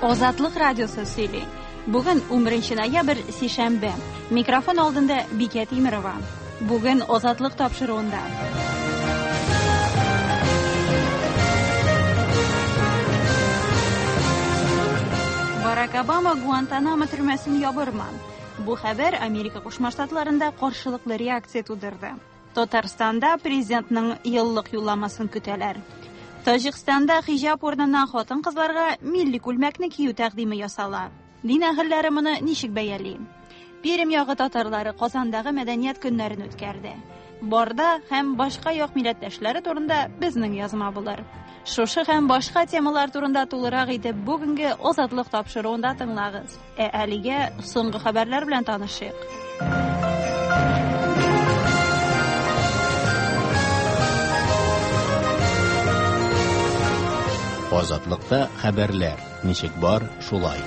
Азатлык радиосы сөйли. Бүген 11 ноябрь, сишәмбе. Микрофон алдында Бикә Тимерова. Бүген Азатлык тапшыруында. Барак Обама Гуантанамо төрмәсен ябырмы? Бу хәбәр Америка Кушма Штатларында каршылыклы реакция тудырды. Татарстанда президентның еллык юлламасын көтәләр. Таҗикстанда хиҗап урынына хатын-кызларга милли күлмәкне кию тәкъдиме ясала. Дин әһелләре моны ничек бәяли? Пермь ягы татарлары Казандагы мәдәният көннәрен үткәрде. Барда һәм башка як милләттәшләре турында безнең язма булыр. Шушы һәм башка темалар турында тулырак итеп бүгенге Азатлык тапшыруында тыңлагыз. Ә әлегә соңгы хәбәрләр белән танышыйк. Азатлыкта хәбәрләр ничек бар, шулай.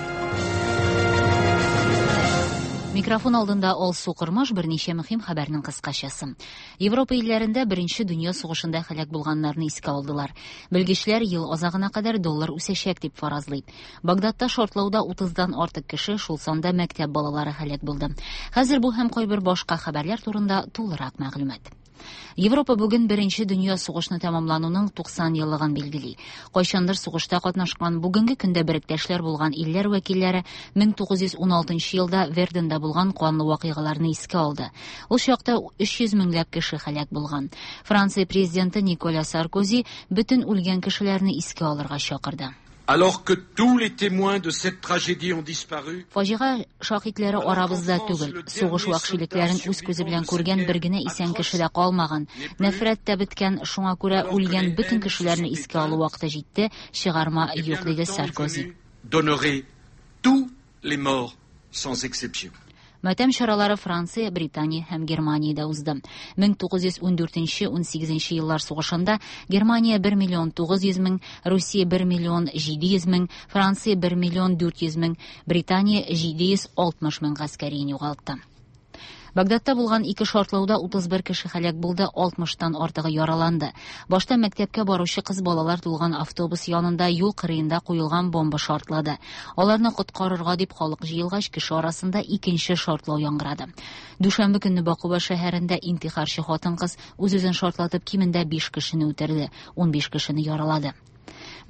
Микрофон алдында Алсу Кормаш берничә мөһим хәбәрнең кыскачасы. Европа илләрендә Беренче дөнья сугышында һәлак булганнарны искә алдылар. Белгечләр ел азагына кадәр доллар үсәчәк дип фаразлый. Багдадта шартлауда 30-дан артык кеше, шул санда мәктәп балалары һәлак булды. Хәзер бу һәм кайбер башка хәбәрләр турында тулырак мәгълүмат. Европа бүген Беренче дөнья сугышны тәмамлануның 90 еллыгын билгели. Кайчандыр сугышта катнашкан, бүгенге көндә беректәшләр булган илләр вәкилләре 1916 елда Верденда булган канлы вакыйгаларны искә алды. Ул чакта 300 меңләп кеше һәлак булган. Франция президенты Николя Саркози бөтен үлгән кешеләрне искә алырга чакырды. Alors que tous les témoins de cette tragédie ont disparu, Фаҗига шаһитләре арабызда түгел. Сугыш вәхшилекләрен үз күзе белән күргән бер генә исән кеше дә калмаган. Нәфрәт тә беткән, шуңа күрә үлгән бөтен кешеләрне искә алу вакыты җитте, чыгарма юк, диде Саркози. D'honorer tous les morts sans exception. Матәм чаралары Франция, Британия һәм Германиядә узды. 1914-18 еллар сугышында Германия 1 миллион 900 мең, Русия 1 миллион 700 мең, Франция 1 миллион 400 мең, Британия 760 мең гаскәрин югалтты. Багдадта булган ике шартлауда 31 кеше һәлак булды, 60-тан артыгы яраланды. Башта мәктәпкә баручы кыз балалар тулган автобус янында юл кырыенда куелган бомба шартлады. Аларны коткарырга дип халык җыелгач, кеше арасында икенче шартлау яңгырады. Дүшәмбе көнне Бакуба шәһәрендә интихарчы хатын-кыз үз-үзен шартлатып кимендә 5 кешене үтерде, 15 кешене яралады.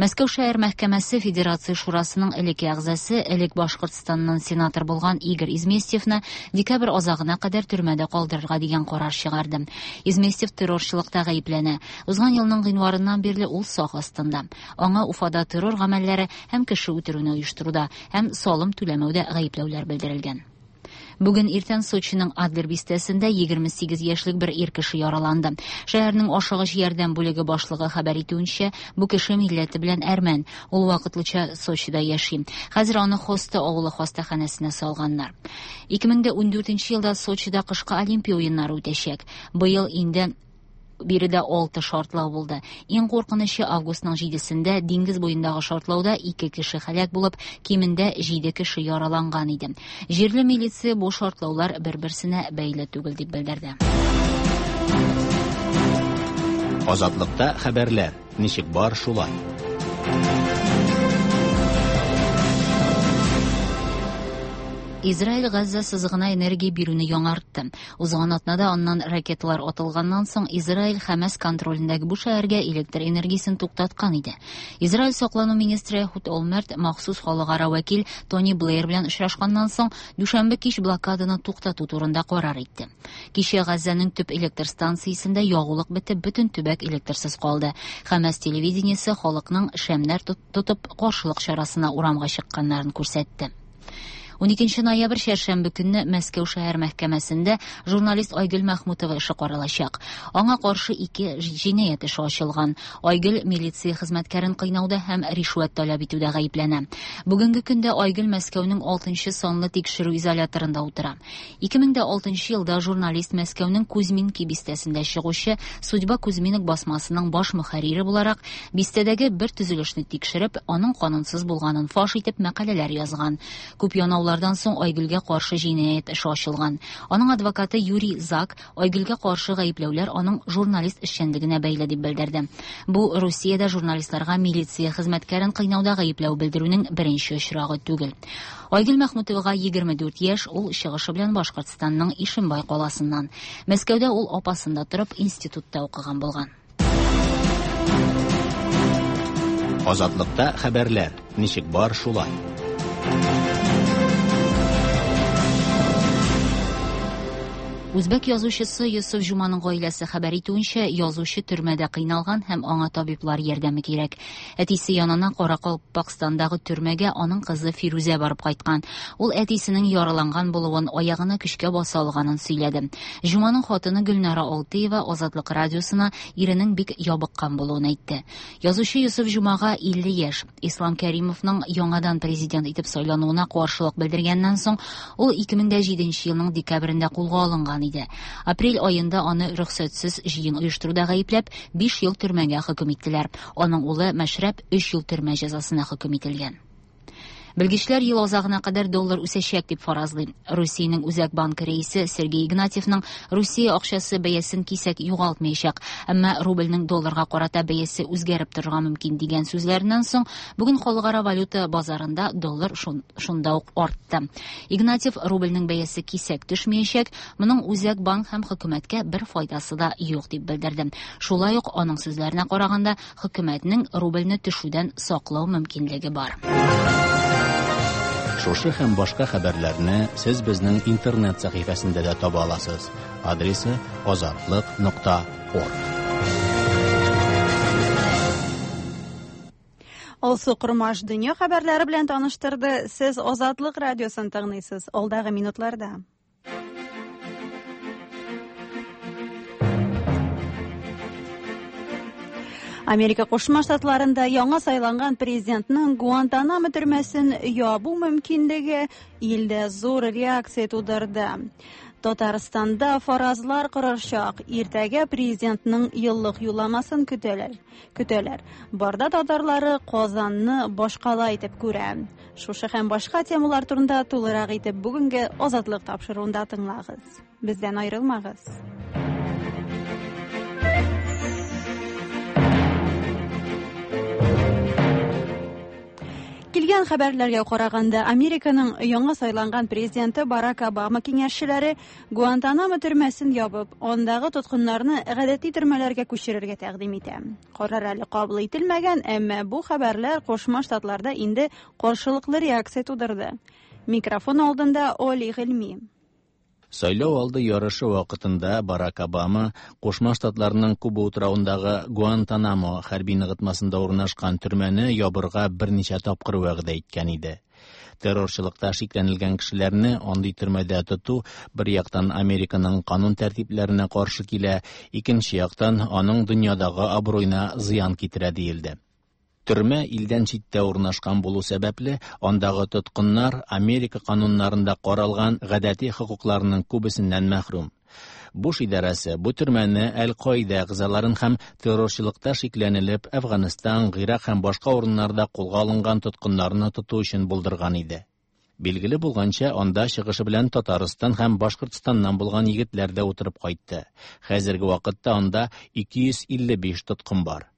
Мәскәү шәһәр мәхкәмәсе Федерация Шурасының элекке әгъзасы, элек Башкортстаннан сенатор булган Игорь Изместьевны декабрь азагына кадәр төрмәдә калдырырга дигән карар чыгарды. Изместьев террорчылыкта гаепләнә. Узган елның гыйнварыннан бирле ул сак астында. Аңа Уфада террор гамәлләре һәм кеше үтерүне оештыруда һәм салым түләмәүдә гаепләүләр белдерелгән. Бүген иртән Сочиның Адлер бистәсендә 28 яшьлек бер ир кеше яраланды. Шәһәрнең ашыгыч ярдәм бүлеге башлыгы хәбәр итүенчә, бу кеше милләте белән әрмән. Ул вакытлыча Сочида яши. Хәзер аны Хоста авылы хастаханәсенә салганнар. 2014 елда Сочида кышкы Олимпия уеннары үтәчәк. Быел инде биредә 6 шартлау булды. Иң куркынычы августның 7-сендә диңгез буендагы шартлауда 2 кеше һәлак булып, кимендә 7 кеше яраланган иде. Җирле милиция бу шартлаулар бер-берсенә бәйле түгел дип белдерде. Азатлыкта хәбәрләр ничек бар, шулай. Израиль Газза сызыгына энергия бирүне яңартты. Узган атнада аннан ракеталар атылганнан соң Израиль Хәмәс контролендәге бу шәһәргә электр энергиясен туктаткан иде. Израиль саклану министры Эхуд Олмерт махсус халыкара вәкил Тони Блэйр белән очрашканнан соң дүшәмбе кич блокаданы туктату турында карар итте. Кичә Газзаның төп электр станциясендә ягулык бетеп, бөтен төбәк электрсыз калды. Хәмәс телевидениесе халыкның шәмнәр тотып каршылык чарасына урамга чыкканнарын күрсәтте. 12 ноябрь чәршәмбе көнне Мәскәү шәһәр мәхкәмәсендә журналист Айгөл Мәхмүтова эше каралачак. Аңа каршы 2 җинаять эше ачылган. Айгөл милиция хезмәткәрен кыйнауда һәм ришвәт таләп итүдә гаепләнә. Бүгенге көндә Айгөл Мәскәүнең 6 санлы тикшерү изоляторында утыра. 2006 елда журналист Мәскәүнең Кузьминки бистәсендә чыгучы Судьба Кузьминок басмасының баш мөхәррире буларак бистәдәге бер төзелешне тикшереп, аның канунсыз булганын фаш итеп мәкаләләр язган. Күп янаулар Шулардан соң Айгөлгә каршы җинаять эше ачылган. Аның адвокаты Юрий Зак Айгөлгә каршы гаепләүләр аның журналист эшчәнлегенә бәйле дип белдерде. Бу Русиядә журналистларга милиция хезмәткәрен кыйнауда гаепләү белдерүнең беренче очрагы түгел. Айгөл Мәхмүтовага 24 яшь, ул чыгышы белән Башкортстанның Ишембай каласыннан. Мәскәүдә ул апасында торып институтта укыган булган. Азатлыкта хәбәрләр ничек бар шулай. Үзбәк язучысы Йосыф Җуманың гаиләсе хәбәр итүенчә, язучы төрмәдә кыйналган һәм аңа табиблар ярдәме кирәк. Әтисе янына Каракалпакстандагы төрмәгә аның кызы Фирүзә барып кайткан. Ул әтисенең яраланган булуын, аягына көчкә баса алганын сөйләде. Җуманың хатыны Гөлнара Алтыева Азатлык радиосына иренең бик ябыккан булуын әйтте. Язучы Йосыф Җумага 50 яшь. Ислам Кәримовның яңадан президент итеп сайлануына каршылык белдергәннән соң, ул 2007 елның декабрендә кулга алынган иде. Апрель аенда аны рөхсәтсез җыен оештыруда гаепләп, 5 ел төрмәгә хөкем иттеләр. Аның улы Мәшрәп 3 ел төрмә җәзасына хөкем ителгән. Белгечләр ел азагына кадәр доллар үсәчәк дип фаразлый. Русиянең Үзәк банкы рәисе Сергей Игнатьевның Русия акчасы бәясен кисәк югалтмаячак, әмма рубльнең долларга карата бәясе үзгәреп торырга мөмкин дигән сүзләреннән соң бүген халыкара валюта базарында доллар шунда ук артты. Игнатьев рубльнең бәясе кисәк төшмәячәк, моның Үзәк банк һәм хөкүмәткә бер файдасы да юк дип белдерде. Шулай ук аның сүзләренә караганда, хөкүмәтнең рубльне төшүдән саклау мөмкинлеге бар. Шушы һәм башка хәбәрләрне сез безнең интернет сәхифәсендә дә таба аласыз. Адресы azatliq.org. Алсу Кормаш дөнья хәбәрләре белән таныштырды. Сез Азатлык радиосын тыңлыйсыз. Алдагы минутларда. Америка Кушма Штатларында яңа сайланган президентның Гуантанамо төрмәсен ябу мөмкинлеге илдә зур реакция тудырды. Татарстанда фаразлар корырчак. Иртәгә президентның еллык юлламасын көтәләр. Көтәләр. Барда татарлары Казанны башкала итеп күрә. Шушы һәм башка темалар турында тулырак итеп бүгенге Азатлык тапшыруында тыңлагыз. Бездән аерылмагыз. Килгән хәбәрләргә караганда, Американың яңа сайланган президенты Барак Обама киңәшчеләре Гуантанамо төрмәсен ябып, андагы тоткыннарны гадәти төрмәләргә күчерергә тәкъдим итә. Карар әле кабул ителмәгән, әмма бу хәбәрләр Кушма Штатларда инде каршылыклы реакция тудырды. Микрофон алдында Оли Гыйльми. Сайлау алды ярышы вакытында Барак Обама Кушма Штатларның Куба утравындагы Гуантанамо хәрби ныгытмасында урнашкан төрмәне ябырга берничә тапкыр вәгъдә иткән иде. Террорчылыкта шикләнелгән кешеләрне андый төрмәдә тоту бер яктан Американың канун тәртипләренә каршы килә, икенче яктан аның дөньядагы абруена зыян китерә диелде. Төрмә илдән читтә урнашкан булу сәбәпле, андагы тоткыннар Америка кануннарында каралган гадәти хокукларының күбесеннән мәхрүм. Буш идарәсе бу төрмәне Әл-Каида әгъзаларын һәм террорчылыкта шикләнелеп Әфганстан, Гыйрак һәм башка урыннарда кулга алынган тоткыннарны тоту өчен булдырган иде. Билгеле булганча, анда чыгышы белән Татарстан һәм Башкортстаннан булган егетләр дә утырып кайтты. Хәзерге вакытта анда 255 тоткын бар.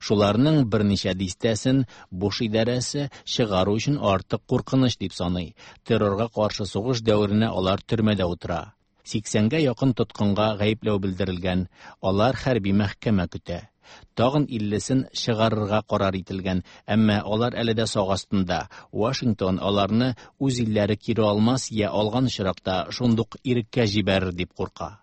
Шуларның берничә дистәсен Буш идарәсе чыгару өчен артык куркыныч дип саный. Террорга каршы сугыш дәверенә алар төрмәдә утыра. 80-гә якын тоткынга гаепләү белдерелгән, алар хәрби мәхкәмә көтә. Тагын 50-сен чыгарырга карар ителгән, әмма алар әле дә сак астында. Вашингтон аларны үз илләре кире алмас я алган очракта шундук иреккә җибәрер дип курка.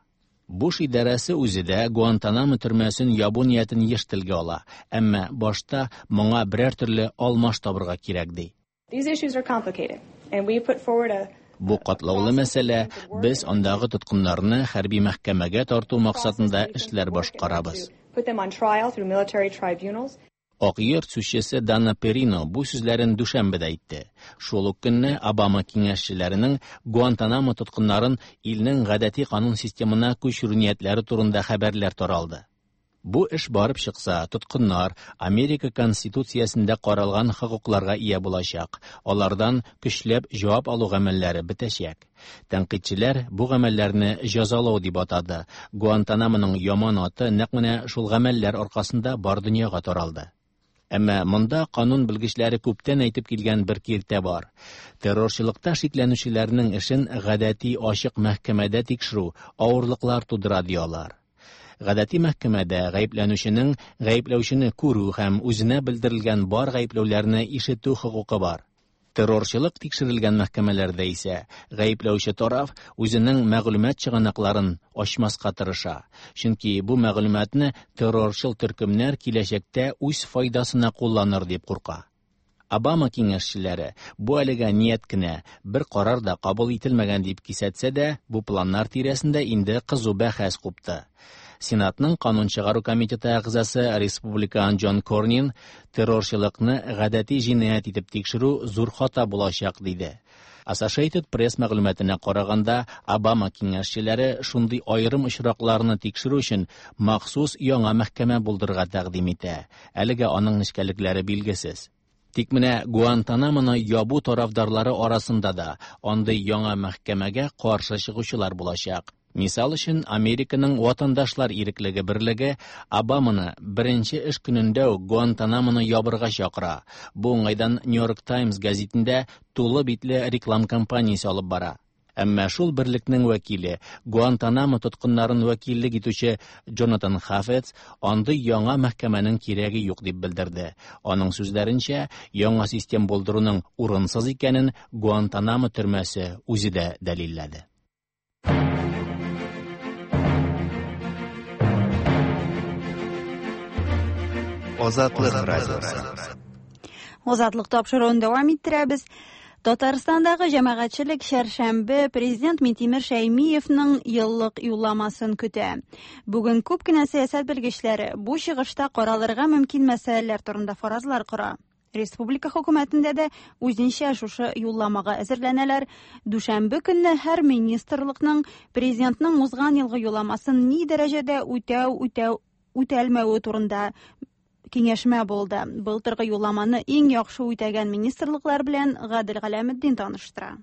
Буш идарәсе үзе дә Гуантанамо төрмәсен ябу ниятен еш телгә ала, әмма башта моңа берәр төрле алмаш табырга кирәк ди. These issues are complicated, and we put forward a Бу катлаулы мәсьәлә, без андагы тоткыннарны хәрби мәхкәмәгә тарту максатында эшләр башкарабыз. Put them on trial through military tribunals. Ак йорт сүзчесе Дана Перино бу сүзләрен дүшәмбедә әйтте. Шул ук көнне Обама киңәшчеләренең Гуантанамо тоткыннарын илнең гадәти канун системына күчерү ниятләре турында хәбәрләр таралды. Бу эш барып чыкса, тоткыннар Америка Конституциясендә каралган хокукларга ия булачак, алардан көчләп җавап алу гамәлләре бетәчәк. Тәнкыйтьчеләр бу гамәлләрне җәзалау дип атады. Гуантанамоның яман аты нәкъ менә шул гамәлләр аркасында бар дөньяга таралды. Әмма монда канун белгечләре күптән әйтеп килгән бер киртә бар. Террорчылыкта шикләнүчеләрнең эшен гадәти ачык мәхкәмәдә тикшерү авырлыклар тудыра, ди алар. Гадәти мәхкәмәдә гаепләнүченең гаепләүчене күрү һәм үзенә белдерелгән бар гаепләүләрне ишетү хокукы бар. Террорчылык тикшерелгән мәхкәмәләрдә исә гаепләүче тараф үзенең мәгълүмат чыганакларын ачмаска тырыша, чөнки бу мәгълүматны террорчыл төркемнәр киләчәктә үз файдасына кулланыр дип курка. Обама киңәшчеләре бу әлегә ният кенә, бер карар да кабул ителмәгән дип кисәтсә дә, бу планнар тирәсендә инде кызу бәхәс купты. Сенатның канун чыгару комитеты әгъзасы республикан Джон Корнин террорчылыкны гадәти җинаять итеп тикшерү зур хата булачак диде. Associated Press мәгълүматына караганда, Обама киңәшчеләре шундый аерым очракларны тикшерү өчен махсус яңа мәхкәмә булдырырга тәкъдим итә. Әлегә аның нечкәлекләре билгесез. Тик менә Гуантанамоны ябу тарафдарлары арасында да андый яңа мәхкәмәгә каршы чыгучылар булачак. Мисал өчен, Американың Ватандашлар иреклеге берлеге Обаманы беренче эш көнендә үк Гуантанамоны ябырга чакыра. Бу уңайдан New York Times гәзитендә тулы битле реклам кампаниясе алып бара. Әмма шул берлекнең вәкиле, Гуантанамо тоткыннарын вәкиллек итүче Джонатан Хафец андый яңа мәхкәмәнең кирәге юк дип белдерде. Аның сүзләренчә, яңа систем булдыруның урынсыз икәнен Гуантанамо төрмәсе үзе дә дәлилләде. Азатлык радиосы. Азатлык тапшыруын дәвам иттерәбез. Татарстандагы җәмәгатьчелек чәршәмбе президент Минтимер Шәймиевның еллык юлламасын көтә. Бүген күп кенә сәясәт белгечләре бу чыгышта каралырга мөмкин мәсьәләләр турында фаразлар кора. Республика хөкүмәтендә дә үзенчә шушы юлламага әзерләнәләр. Дүшәмбе көнне һәр министрлыкның президентның узган елгы юлламасын ни дәрәҗәдә үтәү, үтәү, үтәлмәве турында киңәшмә булды. Былтыргы юлламаны иң яхшы үтәгән министрлыклар белән Гадел Галәметдин таныштыра.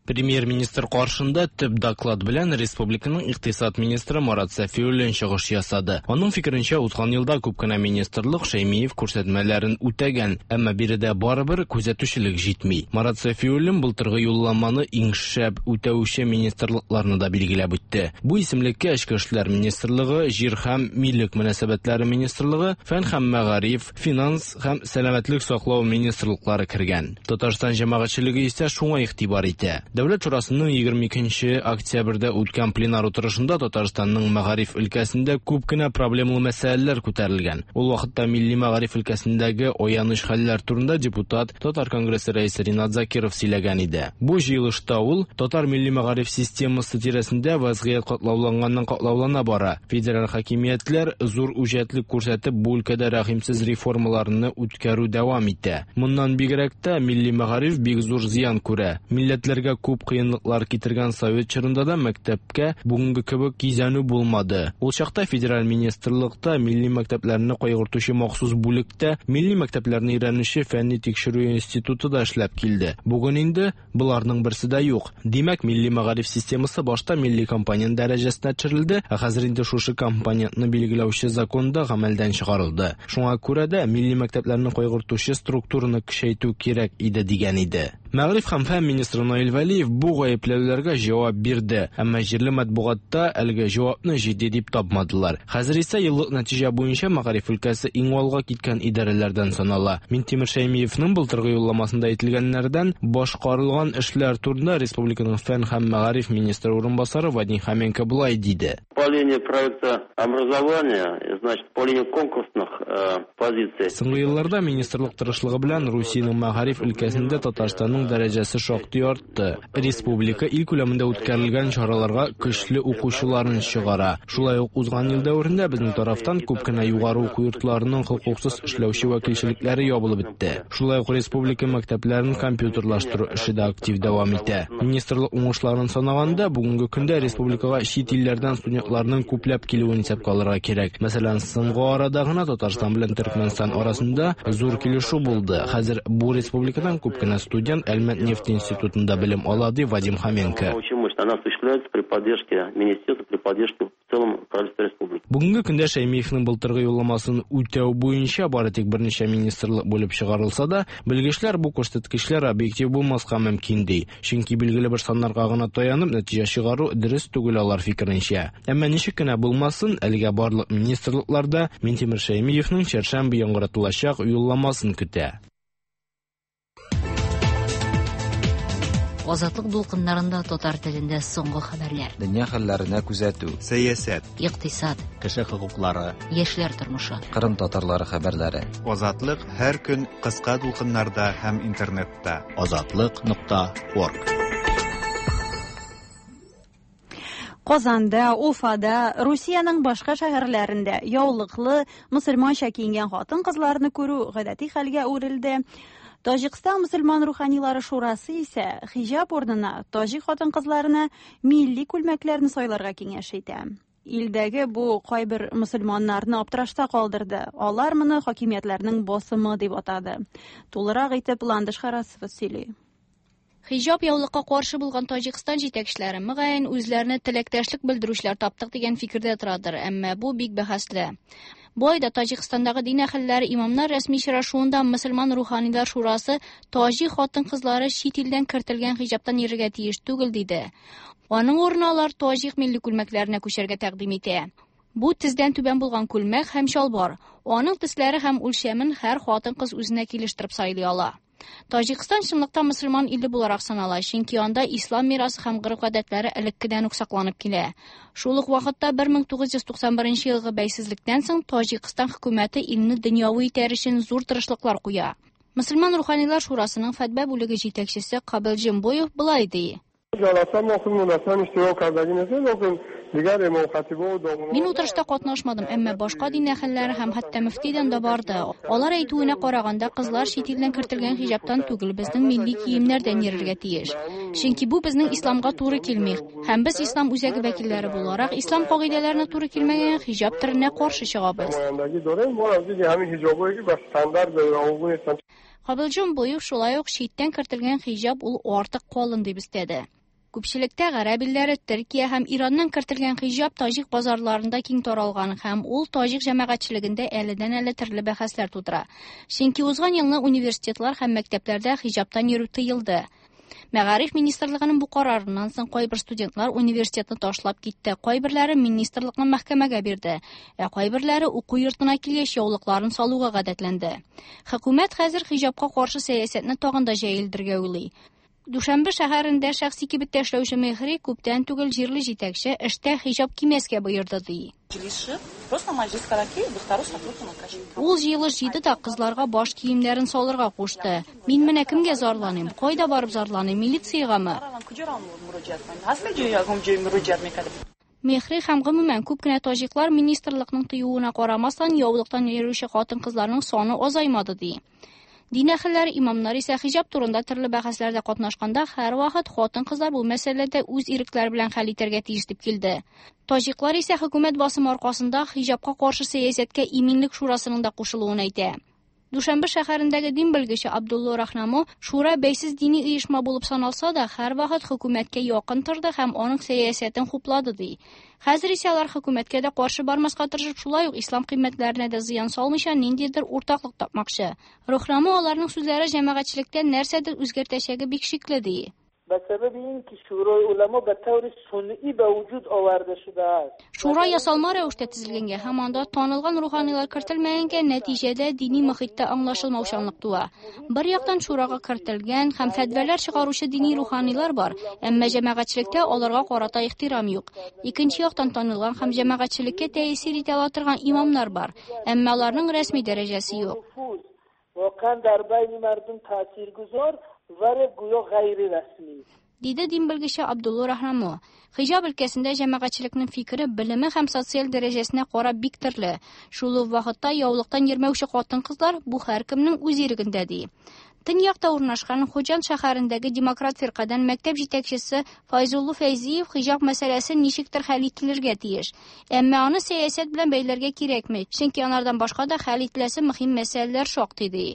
Премьер-министр каршында төп доклад белән республиканың икътисад министры Марат Сафиуллин чыгыш ясады. Аның фикеренчә, узган елда күп кенә министрлык Шәймиев күрсәтмәләрен үтәгән, әмма биредә барыбер күзәтүчелек җитми. Марат Сафиуллин былтыргы юлламаны иң шәп үтәүче министрлыкларны да билгеләп үтте. Бу исемлеккә Эчке эшләр министрлыгы, Җир һәм милек мөнәсәбәтләре министрлыгы, Фән һәм мәгариф, финанс һәм сәламәтлек саклау министрлыклары кергән. Татарстан җәмәгатьчелеге исә шуңа игътибар итә. Дәүләт шурасының 22 октябрьдә үткән пленар утырышында Татарстанның мәгариф өлкәсендә күп кенә проблемалы мәсьәләләр күтәрелгән. Ул вакытта милли мәгариф өлкәсендәге аяныч хәлләр турында депутат, Татар конгрессы рәисе Ринат Закиров сөйләгән иде. Бу җыелышта ул татар милли мәгариф системасы тирәсендә вазгыять катлауланганнан катлаулана бара. Федераль хакимиятләр зур үҗәтлек күрсәтеп бу өлкәдә рәхимсез реформаларны үткәрү дәвам итә. Моннан бигрәк тә милли мәгариф бик зур зыян күрә. Милләтләргә күп кыенлыклар китергән совет чорында да мәктәпкә бүгенге кебек кизәнү булмады. Ул чакта федераль министрлыкта милли мәктәпләрне кайгыртучы махсус бүлектә милли мәктәпләрне өйрәнүче фәнни тикшерү институты да эшләп килде. Бүген инде боларның берсе дә юк. Димәк, милли мәгариф системасы башта милли компонент дәрәҗәсенә төшерелде, ә хәзер инде шушы компонентны билгеләүче закон да гамәлдән чыгарылды. Шуңа күрә дә милли мәктәпләрне кайгыртучы структураны көчәйтү кирәк иде дигән иде. Мәгариф һәм фән министры Наил Вәлиев бу гаепләүләргә җавап бирде, әмма җирле матбугатта әлеге җавапны җитди дип тапмадылар. Хәзер исә еллык нәтиҗә буенча мәгариф өлкәсе иң алга киткән идарәләрдән санала. Минтимер Шәймиевның былтыргы юлламасында әйтелгәннәрдән башкарылган эшләр турында республиканың фән һәм мәгариф министры урынбасары Вадим Хоменко болай диде. По линии проекта образования, значит, по линии конкурсных позиций. Соңгы елларда министрлык тырышлыгы белән Русиянең мәгариф өлкәсендә Татарстанның укуның дәрәҗәсе шактый артты. Республика ил күләмендә үткәрелгән чараларга көчле укучыларын чыгара. Шулай ук узган ел дәверендә безнең тарафтан күп кенә югары уку йортларының хокуксыз эшләүче вәкилчелекләре ябылып бетте. Шулай ук республика мәктәпләрен компьютерлаштыру эше дә актив дәвам итә. Министрлык уңышларын санаганда, бүгенге көндә республикага чит илләрдән студентларның күпләп килүен исәпкә алырга кирәк. Мәсәлән, соңгы арада гына Татарстан белән Төркмәнстан арасында зур килешү булды. Хәзер бу республикадан күп кенә студент Әлмәт нефть институтында белем ала, ди Вадим Хоменко. Она осуществляется при поддержке министерства, при поддержке в целом правительства республики. Бүгенге көндә Шәймиевнең былтыргы юлламасын үтәү буенча бары тик берничә министрлык бүлеп чыгарылса да, белгечләр бу күрсәткечләр объектив булмаска мөмкин ди. Чөнки билгеле бер саннарга гына таянып нәтиҗә чыгару дөрес түгел алар фикеренчә. Әмма ничек кенә булмасын, әлегә барлык министрлыкларда Минтимер Шәймиевнең чәршәмбе яңгыратылачак юлламасын көтә. Азатлык дулкыннарында татар телендә соңгы хәбәрләр. Дөнья хәлләренә күзәтү. Сәясәт. Икътисад. Кеше хокуклары. Яшьләр тормышы. Кырым татарлары хәбәрләре. Азатлык һәр көн кыска дулкыннарда һәм интернетта. Азатлык.орг. Казанда, Уфада, Русиянең башка шәһәрләрендә яулыклы, мөселманча киенгән хатын-кызларны күрү гадәти хәлгә әверелде. Таҗикстан мөселман руханилары шурасы исә хиҗап урынына таҗик хатын-кызларына милли күлмәкләрне сайларга киңәш итә. Илдәге бу кайбер мөселманнарны аптырашта калдырды. Алар моны хакимиятләрнең басымы дип атады. Тулырак итеп Ландыш Харасова сөйли. Хиҗап яулыкка каршы булган Таҗикстан җитәкчеләре мөгаен үзләренә теләктәшлек белдерүчеләр таптык дигән фикердә торадыр, әмма бу бик бәхәсле. Бу айда Таҗикстандагы дин әһелләре имамнар рәсми очрашуында мөселман руханилар шурасы таҗик хатын-кызлары чит илдән кертелгән хиҗаптан йөрергә тиеш түгел диде. Аның урынына алар таҗик милли күлмәкләренә күчәргә тәкъдим итә. Бу тездән түбән булган күлмәк һәм чалбар. Аның төсләре һәм үлчәмен һәр хатын-кыз үзенә килештереп сайлый ала. Таҗикстан чынлыкта мөселман иле буларак санала, чөнки анда ислам мирасы һәм гореф-гадәтләре элеккедән үк сакланып килә. Шул ук вакытта 1991 елгы бәйсезлектән соң Таҗикстан хөкүмәте илне дөньяви итәр өчен зур тырышлыклар куя. Мөселман руханилар шурасының фәтва бүлеге җитәкчесе Кабил Җембоев болай ди. Мин утырышта катнашмадым, әмма башка дин әһелләре һәм хәтта мөфтидән дә барды. Алар әйтүенә караганда, кызлар чит илдән кертелгән хиҗаптан түгел, безнең милли киемнәрдән йөрергә тиеш. Чөнки бу безнең исламга туры килми. Һәм без ислам үзәге вәкилләре буларак, ислам кагыйдәләренә туры килмәгән хиҗап төренә каршы чыгабыз. Кабил Җембоев шулай ук читтән кертелгән хиҗап ул артык калын дип өстәде. Күпчелектә гарәп илләре, Төркия һәм Ираннан кертелгән хиҗап таҗик базарларында киң таралган һәм ул таҗик җәмәгатьчелегендә әледән-әле төрле бәхәсләр тудыра. Чөнки узган елны университетлар һәм мәктәпләрдә хиҗаптан йөрү тыелды. Мәгариф министрлыгының бу карарыннан соң кайбер студентлар университетны ташлап китте, кайберләре министрлыкны мәхкәмәгә бирде, ә кайберләре уку йортына килгәч яулыкларын салуга гадәтләнде. Хөкүмәт хәзер хиҗапка каршы сәясәтне тагын да җәелдерергә уйлый. Дүшәмбе шәһәрендә шәхси кибеттә эшләүче Мехри күптән түгел җирле җитәкче эштә хиҗап кимәскә боерды ди. Ул җыелыш җыйды да кызларга баш киемнәрен салырга кушты. Мин менә кемгә зарланыйм? Кайда барып зарланыйм? Милициягәме? Мехри һәм гомумән күп кенә таҗиклар министрлыкның тыюына карамастан яулыктан йөрүче хатын-кызларның саны азаймады ди. Дин әһелләре, имамнар исә хиҗап турында төрле бәхәсләрдә катнашканда һәрвакыт хатын-кызлар бу мәсьәләдә үз ирекләре белән хәл итәргә тиеш дип килде. Таҗиклар исә хөкүмәт басымы аркасында хиҗапка каршы сәясәткә иминлек шурасының да кушылуын әйтә. Дүшәмбе шәһәрендәге дин белгече Абдулла Рахнамо шура бәйсез дини оешма булып саналса да, һәрвакыт хөкүмәткә якын торды һәм аның сәясәтен хуплады ди. Хәзер исә алар хөкүмәткә дә каршы бармаска тырышып, шулай ук ислам кыйммәтләренә дә зыян салмыйча ниндидер уртаклык тапмакчы. Рахнамо аларның сүзләре җәмәгатьчелектә нәрсәдер үзгәртәчәге бик шикле ди. Шура ясалма рәвештә төзелгәнгә һәм анда танылган руханилар кертелмәгәнгә нәтиҗәдә дини мохиттә аңлашылмаучанлык туа. Бер яктан шурага кертелгән һәм фәтвәләр чыгаручы дини руханилар бар, әмма җәмәгатьчелектә аларга карата ихтирам юк. Икенче яктан танылган һәм җәмәгатьчелеккә тәэсир итә ала торган имамнар бар, әмма аларның рәсми дәрәҗәсе юк. صور گویا غیر رسمی. Диде дин белгече Абдулла Рахнамо. Хиҗаб өлкәсендә җәмәгатьчелекнең фикере белеме һәм социаль дәрәҗәсенә карап бик төрле. Шул ук вакытта яулыктан йөрмәүче хатын-кызлар бу һәркемнең үз ирегендә ди. Төньякта урнашкан Хуҗан шәһәрендәге Демократ фиркадән мәктәп җитәкчесе Файзулла Фәйзиев хиҗаб мәсьәләсе ничектер хәл ителергә тиеш. Әмма аны сәясәт белән бәйләргә кирәкми, чөнки анардан башка да хәл ителәсе мөһим мәсьәләләр шактый ди.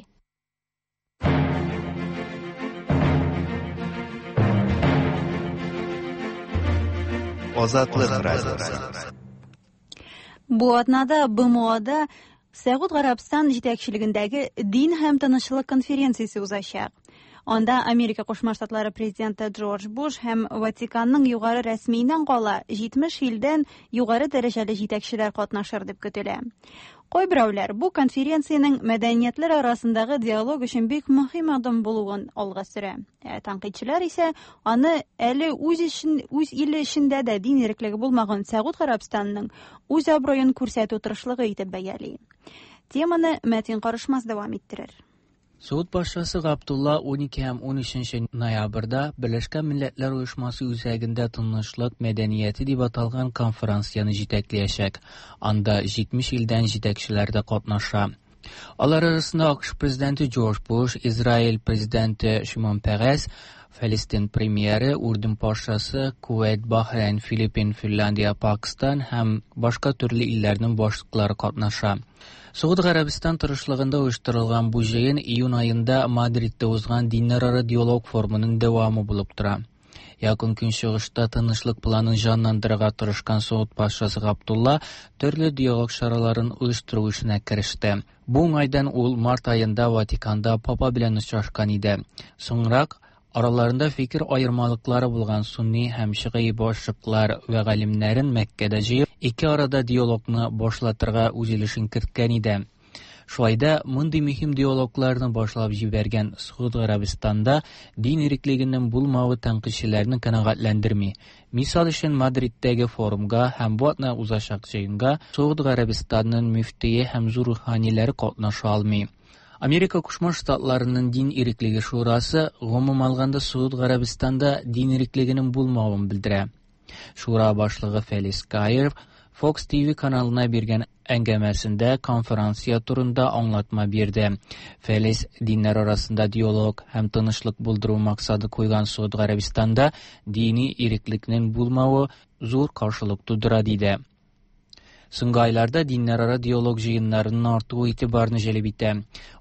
Азатлык радиосы. Бу атнада БМОда Сәгуд Гарәбстан җитәкчелегендәге дин һәм тынычлык конференциясе узачак. Анда Америка Кушма Штатлары президенты Джордж Буш һәм Ватиканның югары рәсмиеннән кала 70 илдән югары дәрәҗәле җитәкчеләр катнашыр дип көтелә. Кайберәүләр бу конференциянең мәдәниятләр арасындагы диалог өчен бик мөһим адым булуын алга сөрә. Ә тәнкыйтьчеләр исә аны әле үз өчен үз иле эчендә дә дин иреклеге булмаган Сәгуд Гарәбстанының үз абруен күрсәтү тырышлыгы итеп бәяли. Теманы Мәтин Карышмас дәвам иттерер. Suud Paşası Abdullah 12 һәм 13 ноябрьдә Берләшкән Милләтләр Оешмасы үзәгендә Тынычлык мәдәнияте дип аталган конференцияне җитәкләячәк. Анда 70 илдән җитәкчеләр дә катнаша. Алар арасында АКШ президенты Джордж Буш, Израиль президенты Шимон Перес, Фәлестин премьеры, Үрдүн патшасы, Кувейт, Бахрейн, Филиппин, Финляндия, Пакистан һәм башка төрле илләрнең башлыклары катнаша. Согуд Гарәбстан тырышлыгында оештырылган бу җыен июнь аенда Мадридта узган диннәрара диалог форумының дәвамы булып тора. Якын Көнчыгышта тынычлык планын җанландырырга тырышкан Согуд патшасы Габдулла төрле диалог чараларын оештыру эшенә кереште. Бу уңайдан ул март аенда Ватиканда папа белән очрашкан иде. Соңрак араларында фикер аермалыклары булган сунни һәм шигый башлыклар вә галимнәрен Мәккәдә җыеп, ике арада диалогны башлатырга үз өлешен керткән иде. Шулай да мондый мөһим диалогларны башлап җибәргән Согуд Гарәбстанда дин иреклегенең булмавы тәнкыйтьчеләрне канәгатьләндерми. Мисал өчен Мадридтәге форумга һәм бу атна узачак җыенга Согуд Гарәбстанның мөфтие һәм зур руханиләре катнаша алмый. Америка Кушма Штатларының дин иреклеге шурасы гомум алганда Согуд Гарәбстанда дин иреклегенең булмавын белдерә. Шура башлыгы Фелис Каев Fox TV каналына биргән әңгәмәсендә конференция турында аңлатма бирде. Фелис диннәр арасында диалог һәм тынычлык булдыру максаты куйган Согуд Гарәбстанда дини иреклекнең булмавы зур каршылык тудыра диде. Соңгы айларда диннәрара диалог җыеннарының артуы игътибарны җәлеп итә.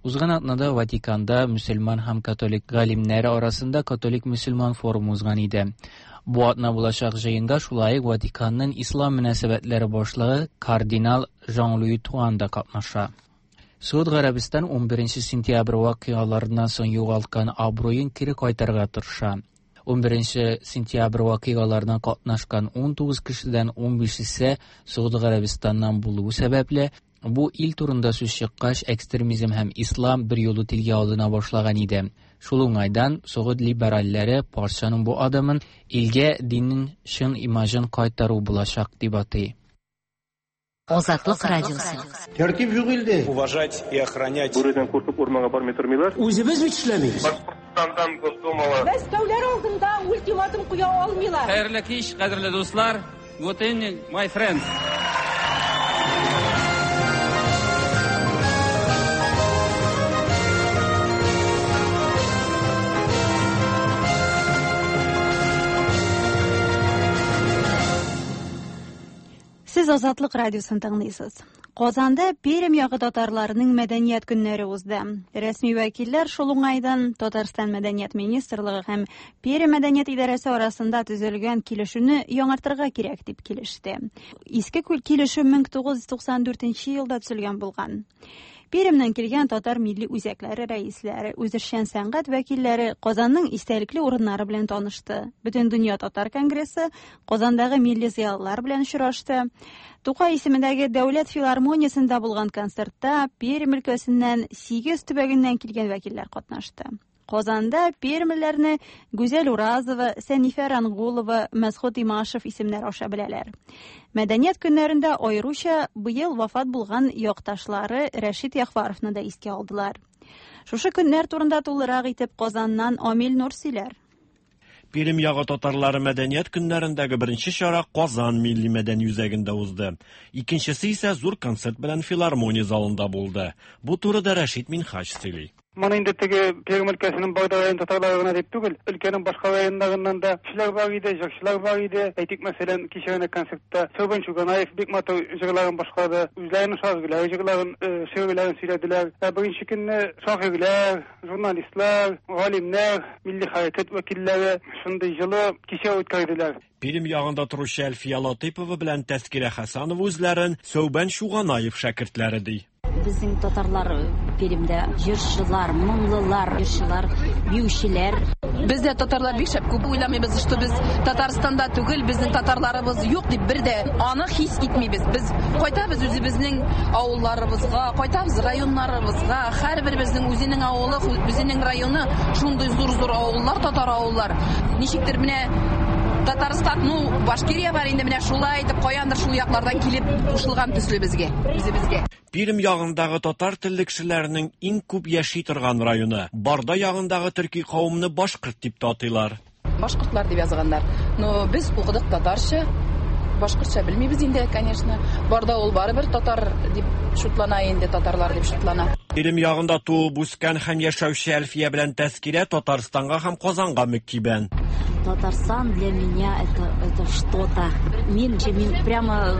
Узган атнада Ватиканда мөселман һәм католик галимнәре арасында католик-мөселман форумы узган иде. Бу атна булачак җыенга шулай ук Ватиканның ислам мөнәсәбәтләре башлыгы кардинал Жан-Луи Туан да катнаша. Согуд Гарәбстан 11 сентябрь вакыйгаларыннан соң югалткан абруен кире кайтарырга тырыша. 11 сентябрь вакыйгаларына катнашкан 19 кешедән 15-се Согуд Гарәбстаннан булуы сәбәпле, бу ил турында сүз чыккач, экстремизм һәм ислам бер юлы телгә алына башлаган иде. Шул уңайдан Согуд либеральләре патшаның бу адымын илгә диннең чын имажын кайтару булачак дип атый. Азатлык радиосы. Тәртип юк илдә. Уважать и охранять. Бүредән куркып урманга бармый тормыйлар. Үзебез бит эшләмибез. Башкортстандан Госдумала. Мәскәүләр алдында ультиматум куя алмыйлар. Хәерле кич, кадерле дуслар. Good evening, my friends. Сез Азатлык радиосын тыңлыйсыз. Казанда Пермь ягы татарларының мәдәният көннәре узды. Рәсми вәкилләр шул уңайдан Татарстан мәдәният министрлыгы һәм Пермь мәдәният идарәсе арасында төзелгән килешүне яңартырга кирәк дип килеште. Иске килешү 1994 елда төзелгән булган. Пермьнән килгән татар милли үзәкләре рәисләре, үзешчән сәнгать вәкилләре Казанның истәлекле урыннары белән танышты. Бөтендөнья татар конгрессы Казандагы милли зыялылар белән очрашты. Тукай исемендәге Дәүләт филармониясендә булган концертта Пермь өлкәсеннән 8 төбәгеннән килгән вәкилләр катнашты. Казанда пермьләрне Гүзәл Уразова, Сәнифә Рангулова, Мәсхүт Имашев исемнәре аша беләләр. Мәдәният көннәрендә аеруча быел вафат булган якташлары Рәшит Яхваровны да искә алдылар. Шушы көннәр турында тулырак итеп Казаннан Амил Нур сөйләр. Пермь ягы татарлары мәдәният көннәрендәге беренче чара Казан милли мәдәни үзәгендә узды. Икенчесе исә зур концерт белән филармония залында булды. Бу турыда Рәшит Минһаҗ сөйли. Моны инде теге Пермь өлкәсенең Барда район татарлары гына дип түгел, өлкәнең башка районнарыннан да кешеләр бар иде, җырчылар бар иде. Әйтик, мәсәлән, кичә генә концертта Сәүбән Чуганаев бик матур җырларын башкарды. Үзләренең шагыйрьләре җырларын, шигырьләрен сөйләделәр. Ә беренче көнне шагыйрьләр, журналистлар, галимнәр, милли хәрәкәт вәкилләре шундый җылы кичә үткәрделәр. Пермь ягында торучы Әлфия Латыйпова белән Тәскирә Хәсәнова үзләрен Сәүбән Чуганаев шәкертләре ди. Безнең татарлар Пермьдә җырчылар, моңлылар, җырчылар, биючеләр. Без дә татарлар бик шәп күп уйламыйбыз, что без Татарстанда түгел, безнең татарларыбыз юк дип бер дә аны хис итмибез. Без кайтабыз үзебезнең авылларыбызга, кайтабыз районнарыбызга. Һәрберебезнең үзенең авылы, үзенең районы, шундый зур-зур авыллар, татар авыллар. Ничектер менә Татарстан, ну, Башкирия бар инде, менә шулай итеп каяндыр шул яклардан килеп кушылган төсле безгә, үзебезгә. Пермь ягындагы татар телле кешеләрнең иң күп яши торган районы. Барда ягындагы төрки кавымны башкорт дип тә атыйлар. Башкортлар дип язганнар. Но без укыдык татарча, башкортча белмибез инде, конечно. Барда ул барыбер татар дип шутлана инде, татарлар дип шутлана. Пермь ягында туып үскән һәм яшәүче Әлфия белән Тәскирә Татарстанга һәм Казанга мөкиббән. Татарстан для меня это что-то. Мин, мин прямо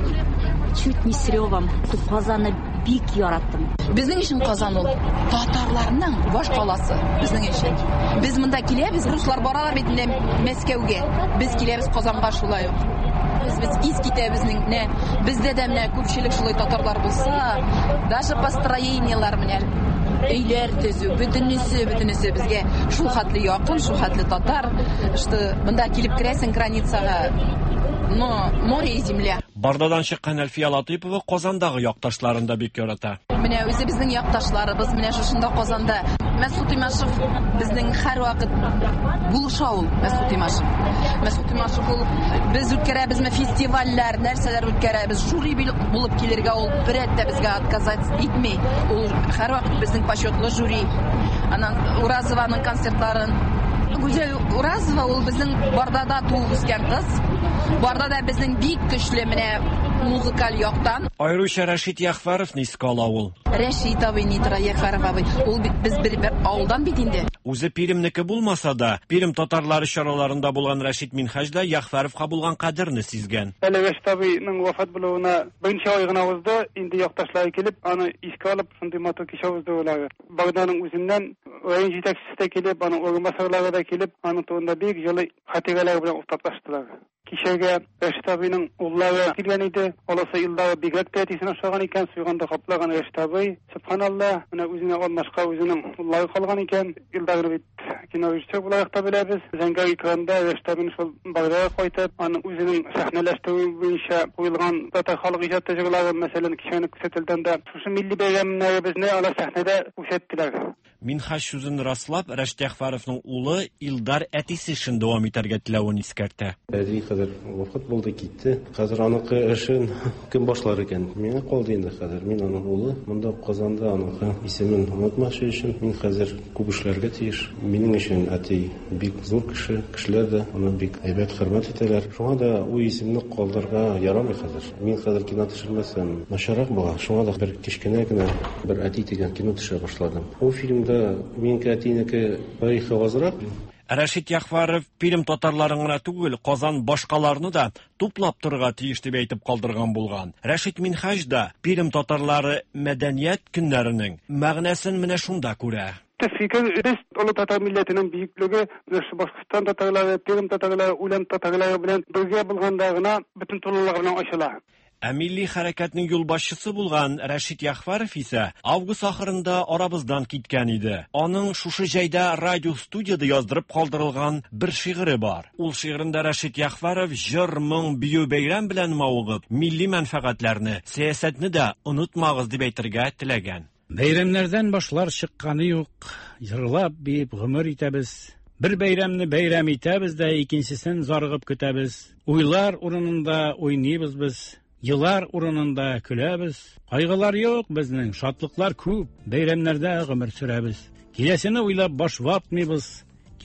чуть не с ревом. Казанны бик яраттым. Безнең өчен Казан ул татарларның баш каласы, безнең өчен. Без монда киләбез, руслар баралар бит инде Мәскәүгә. Без киләбез Казанга шулай ук. Без ис китә безнең, менә бездә дә менә күпчелек шулай татарлар булса, даже построениелар менә өйләр төзү, бөтенесе, бөтенесе безгә шул хәтле якын, шул хәтле татар, что монда килеп керәсең границага, но море и земля. Бардадан чыккан Әлфия Латыйпова Казандагы якташларын да бик ярата. Менә үзебезнең якташларыбыз, менә шушында Казанда. Мәсхүт Имашев безнең һәрвакыт булыша ул, Мәсхүт Имашев. Мәсхүт Имашев ул без үткәрәбезме фестивальләр, нәрсәләр үткәрәбез, жюри булып килергә ул бер рәт тә безгә отказать итми. Ул һәрвакыт безнең почетлы жюри. Аннан Уразованың концертларын. Гүзәл Уразова ул безнең Бардада туып үскән кыз. Бардада безнең бик көчле менә музыкаль яктан. Аеруча Рәшит Яхфаровны искә ала ул. Рәшит абый ни тора, Яхфаров абый. Ул бит без бер авылдан бит инде. Үзе Пермьнеке булмаса да, Пермь татарлары чараларында булган Рәшит Минһаҗ да Яхфаровка булган кадерне сизгән. Әле Рәшит абыйның вафат булуына берничә ай гына узды, инде якташлары килеп, аны искә алып, шундый матур кичә уздырулар. Барданың үзеннән район җитәкчесе дә килеп, аның урынбасарлары да килеп, аның турында бик җылы хатирәләр белән уртаклаштылар. Кичәгә Рәшит абыйның уллары килгән иде. Аласы еллары бигрәк тә әтисен ошаган икән, суйганда каплаган Рәшит абый. Субханалла, менә үзенә алмашка үзенең уллары калган икән. Илдарны бит кино режиссер буларак та беләбез. Зәңгәр экранда Рәшит абыйның шул Бардага кайтып, аның үзенең сәхнәләштерү буенча куелган татар халык иҗаты җырлары, мәсәлән, кичәне күрсәтелгәндә дә шушы милли бәйрәмнәребезне алар сәхнәдә күрсәттеләр. Минһаҗ сүзен раслап, Рәшит Яхфаровның улы Илдар әтисе эшен дәвам итәргә теләвен искәртә. Әти хәзер вафат булды, китте. Хәзер аныкы эшен кем башлар икән? Миңа калды инде хәзер. Мин аның улы. Монда Казанда аныкы исемен онытмас өчен мин хәзер күп эшләргә тиеш. Минем өчен әти бик зур кеше, кешеләр дә аны бик әйбәт хөрмәт итәләр. Шуңа да ул исемне калдырырга ярамый хәзер. Мин хәзер кино төшермәсәм, начаррак була. Шуңа да бер кечкенә генә бер әти дигән кино төшерә башладым. Ул фильмда минеке әтинеке тарихы азрак. Рәшит Яхфаров Пермь татарларын гына түгел, Казан башкаларны да туплап торырга тиеш дип әйтеп калдырган булган. Рәшит Минһаҗ да Пермь татарлары мәдәният көннәренең мәгънәсен менә шунда күрә. Фикер без олы татар милләтенең бөеклеге, менә шу Башкортстан татарлары, Пермь татарлары, Үлән татарлары белән бергә булганда гына бөтен тулылыгы белән ачыла. Ә милли хәрәкәтнең юлбашчысы булган Рәшит Яхфаров исә август ахырында арабыздан киткән иде. Аның шушы җәйдә радио студияда яздырып калдырылган бер шигыре бар. Ул шигырендә Рәшит Яхфаров җыр, моң, бию бәйрәм белән мавыгып, милли мәнфәгатьләрне, сәясәтне дә онытмагыз дип әйтергә теләгән. Бәйрәмнәрдән башлар чыкканы юк, җырлап, биеп гомер итәбез. Бер бәйрәмне бәйрәм итәбез дә, икенчесен зарыгып көтәбез. Уйлар урынында уйныйбыз без, елар урынында көләбез. Кайгылар юк безнең, шатлыклар күп, бәйрәмнәрдә гомер сөрәбез. Киләсене уйлап баш ватмыйбыз,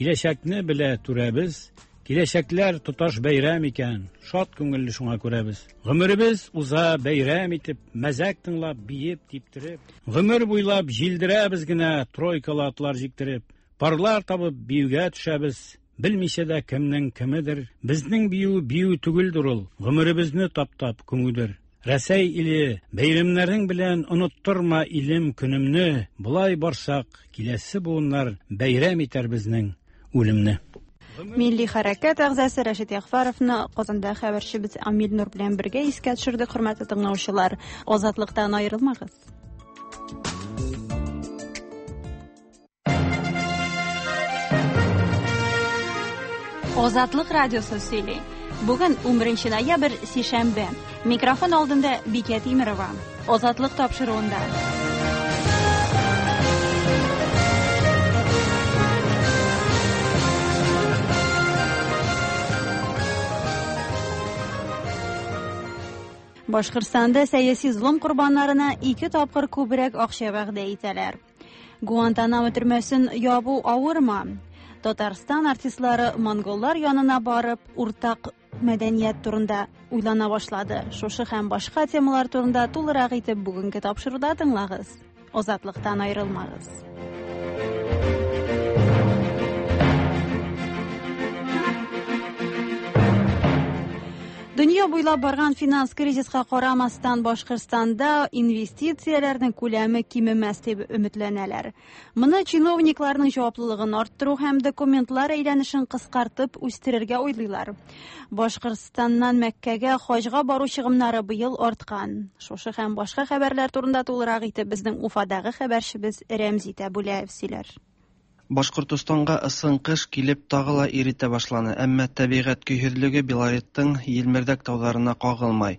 киләчәкне белә түрәбез. Киләчәкләр тоташ бәйрәм икән, шат күңелле шуңа күрәбез. Гомеребез уза бәйрәм итеп, мәзәк тыңлап, биеп, типтереп. Гомер буйлап җилдерәбез генә тройкалы атлар җиктереп. Парлар табып биюгә төшәбез, белмичә дә кемнең кемедер. Безнең бию бию түгелдер ул, гомеребезне таптап күмүдер. Рәсәй иле, бәйрәмнәрең белән оныттырма илем көнемне. Болай барсак, киләсе буыннар бәйрәм итәр безнең үлемне. Милли хәрәкәт әгъзасы Рәшит Ягъфәровны Казанда хәбәрчебез Амил Нур белән бергә искә төшердек, хөрмәтле тыңлаучылар. Азатлыктан аерылмагыз. Азатлык радиосы сөйли. Бүген 11 ноябрь, сишәмбе. Микрофон алдында Бикә Тимерова. Азатлык тапшыруында. Башкортстанда сәяси злом корбаннарына ике тапкыр күбрәк акча вәгъдә итәләр. Гуантанамо төрмәсен ябу авырмы? Татарстан артистлары монголлар янына барып, уртак мәдәният турында уйлана башлады. Шушы һәм башка темалар турында тулырак итеп бүгенге тапшыруда тыңлагыз. Азатлыктан аерылмагыз. Дөнья буйлап барган финанс кризиска карамастан Башкортстанда инвестицияләрнең күләме кимемәс дип өметләнәләр. Моны чиновникларның җаваплылыгын арттыру һәм документлар әйләнешен кыскартып үстерергә уйлыйлар. Башкортстаннан Мәккәгә хаҗга бару чыгымнары быел арткан. Шушы һәм башка хәбәрләр турында тулырак итеп безнең Уфадагы хәбәрчебез Рәмзи Тәбүләев сөйләр. Башкортостанга ысын кыш килеп тагы ла иретә башланы, әмма тәбигать көйһезлеге Белореттың Елмердәк тауҙарына ҡағылмай.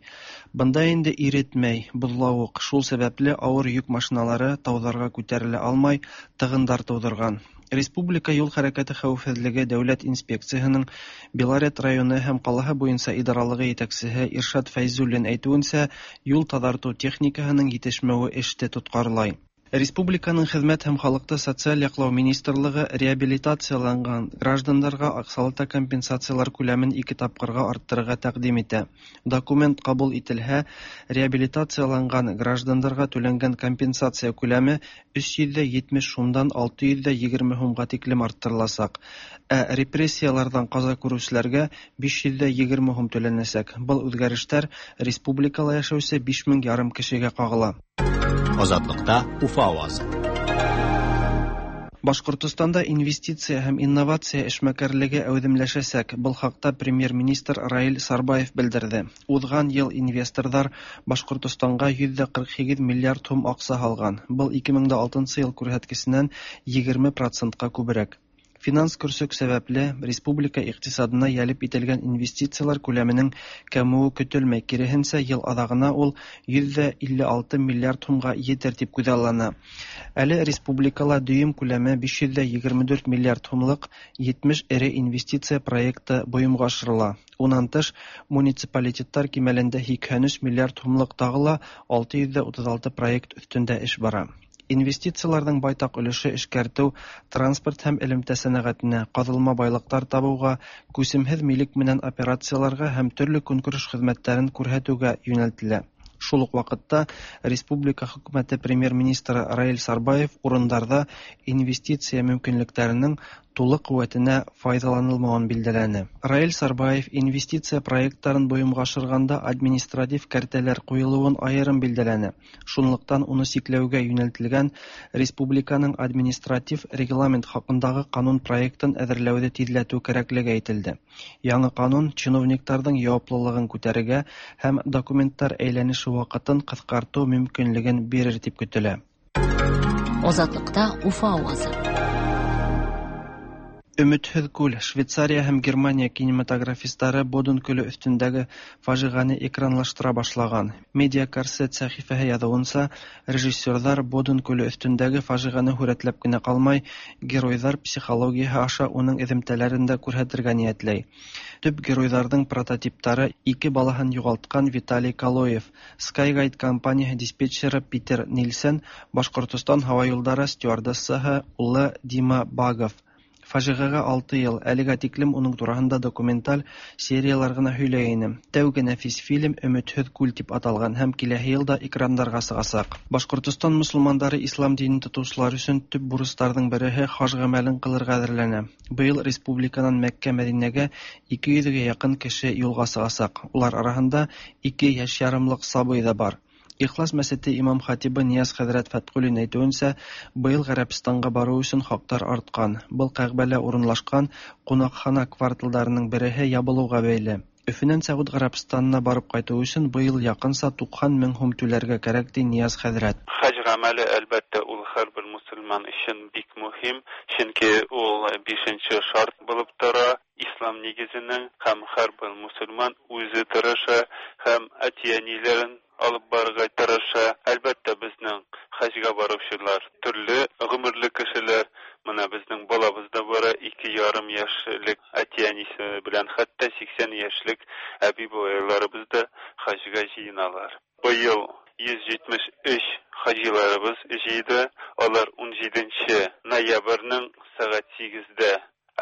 Бында инде иретмәй, боҙлауыҡ, шул сәбәпле ауыр йөк машиналары тауҙарға күтәрелә алмай, тығындар тыуҙырған. Республика юл хәрәкәте хәүефһеҙлеге дәүләт инспекцияһының Белорет районы һәм ҡалаһы буйынса идаралығы етәксеһе Иршат Фәйзуллин әйтеүенсә, юл таҙартыу техникаһының етешмәүе эште тотҡарлай. Республиканың хеҙмәт һәм халыҡты социаль яҡлау министрлығы реабилитацияланған граждандарға аҡсалата компенсациялар күләмен ике тапҡырға арттырырға тәҡдим итә. Документ ҡабул ителһә, реабилитацияланған граждандарға түләнгән компенсация күләме 370 һумдан 620 һумға тиклем арттырыласаҡ. Ә репрессияларҙан ҡаза күреүселәргә 520 һум түләнәсәк. Был үҙгәрештәр республикала йәшәүсе 5,5 кешегә ҡағыла. Азатлыкта Уфа авазы. Башҡортостанда инвестиция һәм инновация эшмәкәрлеге әүҙемләшәсәк. Был хаҡта премьер-министр Раил Сарбаев белдерҙе. Уҙған йыл инвесторҙар Башҡортостанға 148 миллиард һум аҡса һалған. Был 2006 йыл күрһәткесенән 20%-ҡа күберәк. Финанс көрсөк сәбәпле республика иҡтисадына йәлеп ителгән инвестициялар күләменең кәмеүе көтөлмәй. Киреһенсә, йыл аҙағына ул 156 миллиард һумға етер тип күҙаллана. Әле республикала дөйөм күләме 524 миллиард һумлыҡ 70 эре инвестиция проекты бойомға ашырыла. Унан тыш, муниципалитеттар кимәлендә 83 миллиард һумлыҡ тағы ла 636 проект өҫтөндә эш бара. Инвестицияларҙың байтаҡ өлөшө эшкәртеү, транспорт һәм элемтә сәнәғәтенә, ҡаҙылма байлыҡтар табыуға, күсемһеҙ милек менән операцияларға һәм төрлө көнкүреш хеҙмәттәрен күрһәтеүгә йүнәлтелә. Шул уҡ ваҡытта республика хөкүмәте премьер-министры Раил Сарбаев урындарҙа инвестиция мөмкинлектәренең тулы ҡеүәтенә файҙаланылмауын билдәләне. Раил Сарбаев инвестиция проекттарын бойомға ашырғанда административ кәртәләр ҡуйылыуын айырым билдәләне. Шунлыҡтан уны сикләүгә йүнәлтелгән республиканың административ регламент хаҡындағы ҡанун проектын әҙерләүҙе тиҙләтеү кәрәклеге әйтелде. Яңы ҡанун чиновниктарҙың яуаплылығын күтәрергә һәм документтар әйләнеше ваҡытын ҡыҫҡартыу мөмкинлеген бирер тип көтөлә. Азатлыкта Уфа авазы. Өметһеҙ күл. Швейцария һәм Германия кинематографистары Боден күле өҫтөндәге фажиғәне экранлаштыра башлаған. Медиа Корсет сәхифәһе яҙыуынса, режиссерҙар Боден күле өҫтөндәге фажиғәне һүрәтләп кенә ҡалмай, геройҙар психологияһы аша уның эҙемтәләрен дә күрһәтергә ниәтләй. Төп геройҙарҙың прототиптары ике балаһын юғалтҡан Виталий Калоев, Skyguide компанияһы диспетчеры Питер Нильсен, Башҡортостан һауа юлдары стюардессаһы улы Дима Багов. Фажиғәгә 6 йыл, әлегә тиклем уның тураһында документаль сериялар ғына һөйләй ине. Тәүге нәфис фильм Өмөтһөҙ күл тип аталған һәм киләһе йылда экрандарға сығасаҡ. Башҡортостан мосолмандары ислам динен тотоусылар өсөн төп бурыстарҙың береһе хаж ғәмәлен ҡылырға әҙерләнә. Быйыл республиканан Мәккә, Мәҙинәгә 200-гә яҡын кеше юлға сығасаҡ. Улар араһында 2 йәш ярымлыҡ сабый ҙа бар. Ихлас мәсете имам хатибы Нияз хәҙрәт Фәтҡуллин әйтеүенсә, быйыл Ғәрәбстанға барыу өсөн хаҡтар артҡан. Был Кәғбәлә урынлашҡан ҡунаҡхана кварталдарының береһе ябылыуға бәйле. Өфөнән Сәғүд Ғәрәбстанына барып ҡайтыу өсөн быйыл яҡынса 90 мең һум түләргә кәрәк, ти Нияз хәҙрәт. Хаж ғәмәле, әлбәттә, ул һәр бер мосолман өсөн бик мөһим, сөнки ул 5-нче шарт булып тора ислам нигеҙенең, һәм һәр бер мосолман үҙе тырыша һәм әти-әниләрен алып барырға тырыша. Әлбәттә, безнең хаҗга баручылар төрле гомерле кешеләр. Менә безнең балабыз да бара, 2,5 яшьлек әти-әнисе белән, хәтта 80 яшьлек әби-бабайларыбыз да хаҗга җыеналар. Быел 173 хаҗиларыбыз җыйды. Алар 17 ноябрьнең сәгать 8-дә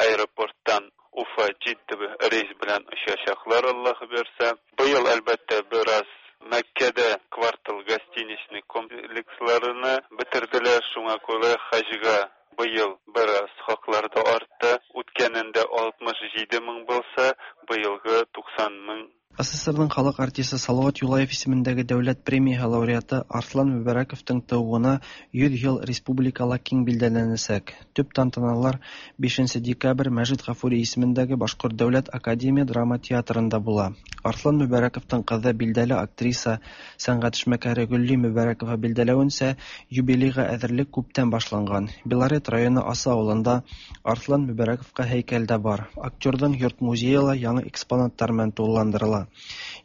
аэропорттан Уфа Җидда рейс белән очачаклар, Аллаһ бирсә. Быел, әлбәттә, бераз Мәккәдә квартал гостиничный комплексларını бетерделәр, шуңа күрә хаҗга быел бераз хаклар да артты. Үткәнендә 67 мең булса, быелгы 90 мең. СССРның халык артисы Салават Юлаев исемендәге дәүләт премияһы лауреаты Арслан Мөбәрәковтың тыуыуына 100 йыл республикала киң билдәләнәсәк. Төп тантаналар 5 декабрь Мәжит Ғафури исемендәге Башҡорт дәүләт академия драма театрында була. Арслан Мөбәрәковтың ҡыҙы билдәле актриса, сәнғәт эшмәкәре Гөлли Мөбәрәкова билдәләүенсә, юбилейға әҙерлек күптән башланған. Белорет районы Аса ауылында Арслан Мөбәрәковҡа һәйкәл дә бар. Актерҙың йорт музейы ла яңы экспонаттар менән тулыландырыла.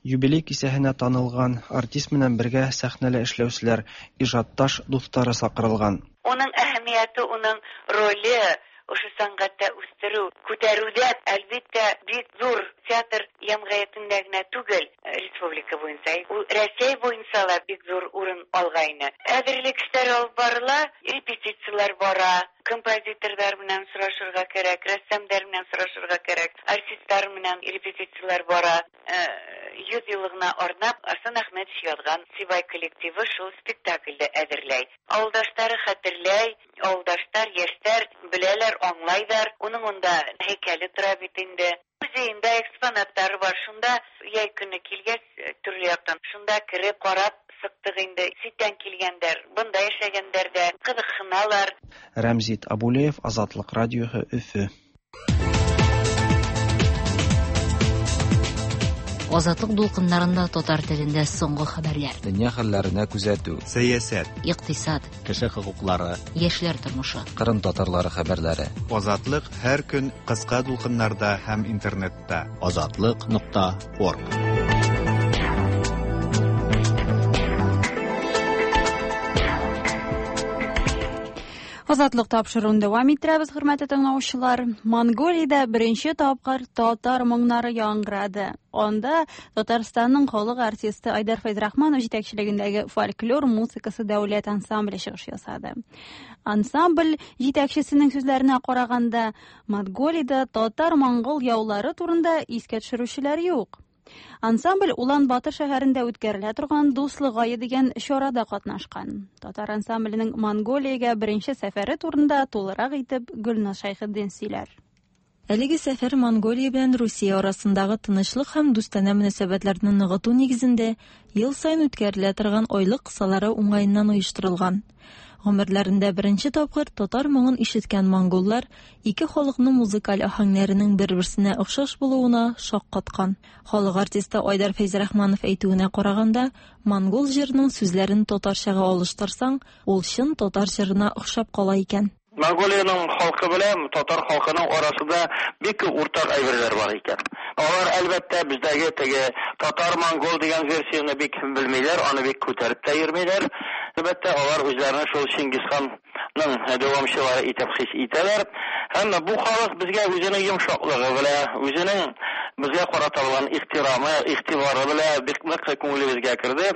Юбилей кисәһенә танылған артист менән бергә сәхнәлә эшләүселәр, ижадташ дуҫтары саҡырылған. Уның әһәмиәте, уның роле ошо сәнғәттә үҫтереү, күтәреүҙә, әлбиттә, бик ҙур театр йәмғиәтендә генә түгел, республика буйынса, ул Рәсәй буйынса ла бик ҙур урын алғайны. Әҙерлек эштәре алып барыла, репетициялар бара, композиторҙар менән сорашырға кәрәк, рәссамдар менән сорашырға кәрәк, артисттар менән репетициялар бара. 100 йыллығына арнап Арслан Әхмәтович яҙған Сибай коллективы шул спектакльде әҙерләй. Ауылдаштары хәтерләй, ауылдаштар, йәштәр беләләр, аңлайҙар. Уның унда һәйкәле тора бит инде. Музейында экспонаттары бар. Шунда йәй көнө килгәс, төрлө яҡтан шунда кереп ҡарап сыҡтыҡ инде. Ситтән килгәндәр, бында йәшәгәндәр ҙә ҡыҙыҡһыналар. Рәмзит Абулеев, Азатлыҡ радиоһы, Өфө. Азатлык дулкыннарында татар телендә соңгы хәбәрләр. Дөнья хәлләренә күзәтү, сәясәт, икътисад, кеше хокуклары, яшьләр тормышы, Кырым татарлары хәбәрләре. Азатлык һәр көн кыска дулкыннарда һәм интернетта. Азатлык.org. Азатлык тапшыруын дәвам иттерәбез, хөрмәтле тыңлаучылар. Монголиядә беренче тапкыр татар моңнары яңгырады. Анда Татарстанның халык артисты Айдар Фәйзрахманов җитәкчелегендәге фольклор музыкасы дәүләт ансамбле чыгыш ясады. Ансамбль җитәкчесенең сүзләренә караганда, Монголиядә татар-монгол яулары турында искә төшерүчеләр юк. Ансамбль Улан-Батор шәһәрендә үткәрелә торган Дуслык ае дигән чарада катнашкан. Татар ансамбленең Монголиягә беренче сәфәре турында тулырак итеп Гөлназ Шәйхетдин сөйләр. Әлеге сәфәр Монголия белән Русия арасындагы тынычлык һәм дустанә мөнәсәбәтләрне ныгыту нигезендә ел саен үткәрелә торган айлык кысалары уңаеннан оештырылган. Гомерләрендә беренче тапкыр татар моңын ишеткән монголлар ике халыкның музыкаль аһәңнәренең бер-берсенә охшаш булуына шаккаткан. Халык артисты Айдар Фәйзрахманов әйтүенә караганда, монгол җырының сүзләрен татарчага алыштырсаң, ул чын татар җырына охшап кала икән. Монголиянең халкы белән татар халкының арасында бик күп уртак әйберләр бар икән. Алар, әлбәттә, бездәге теге татар-монгол дигән версияне бик белмиләр, аны бик күтәреп тә йөрмиләр. Әлбәттә, алар үзләрен шул Чингисханның дәвамчылары итеп хис итәләр. Һәм бу халык безгә үзенең йомшаклыгы белән, үзенең безгә карата булган ихтирамы, игътибары белән бик нык күңелебезгә керде.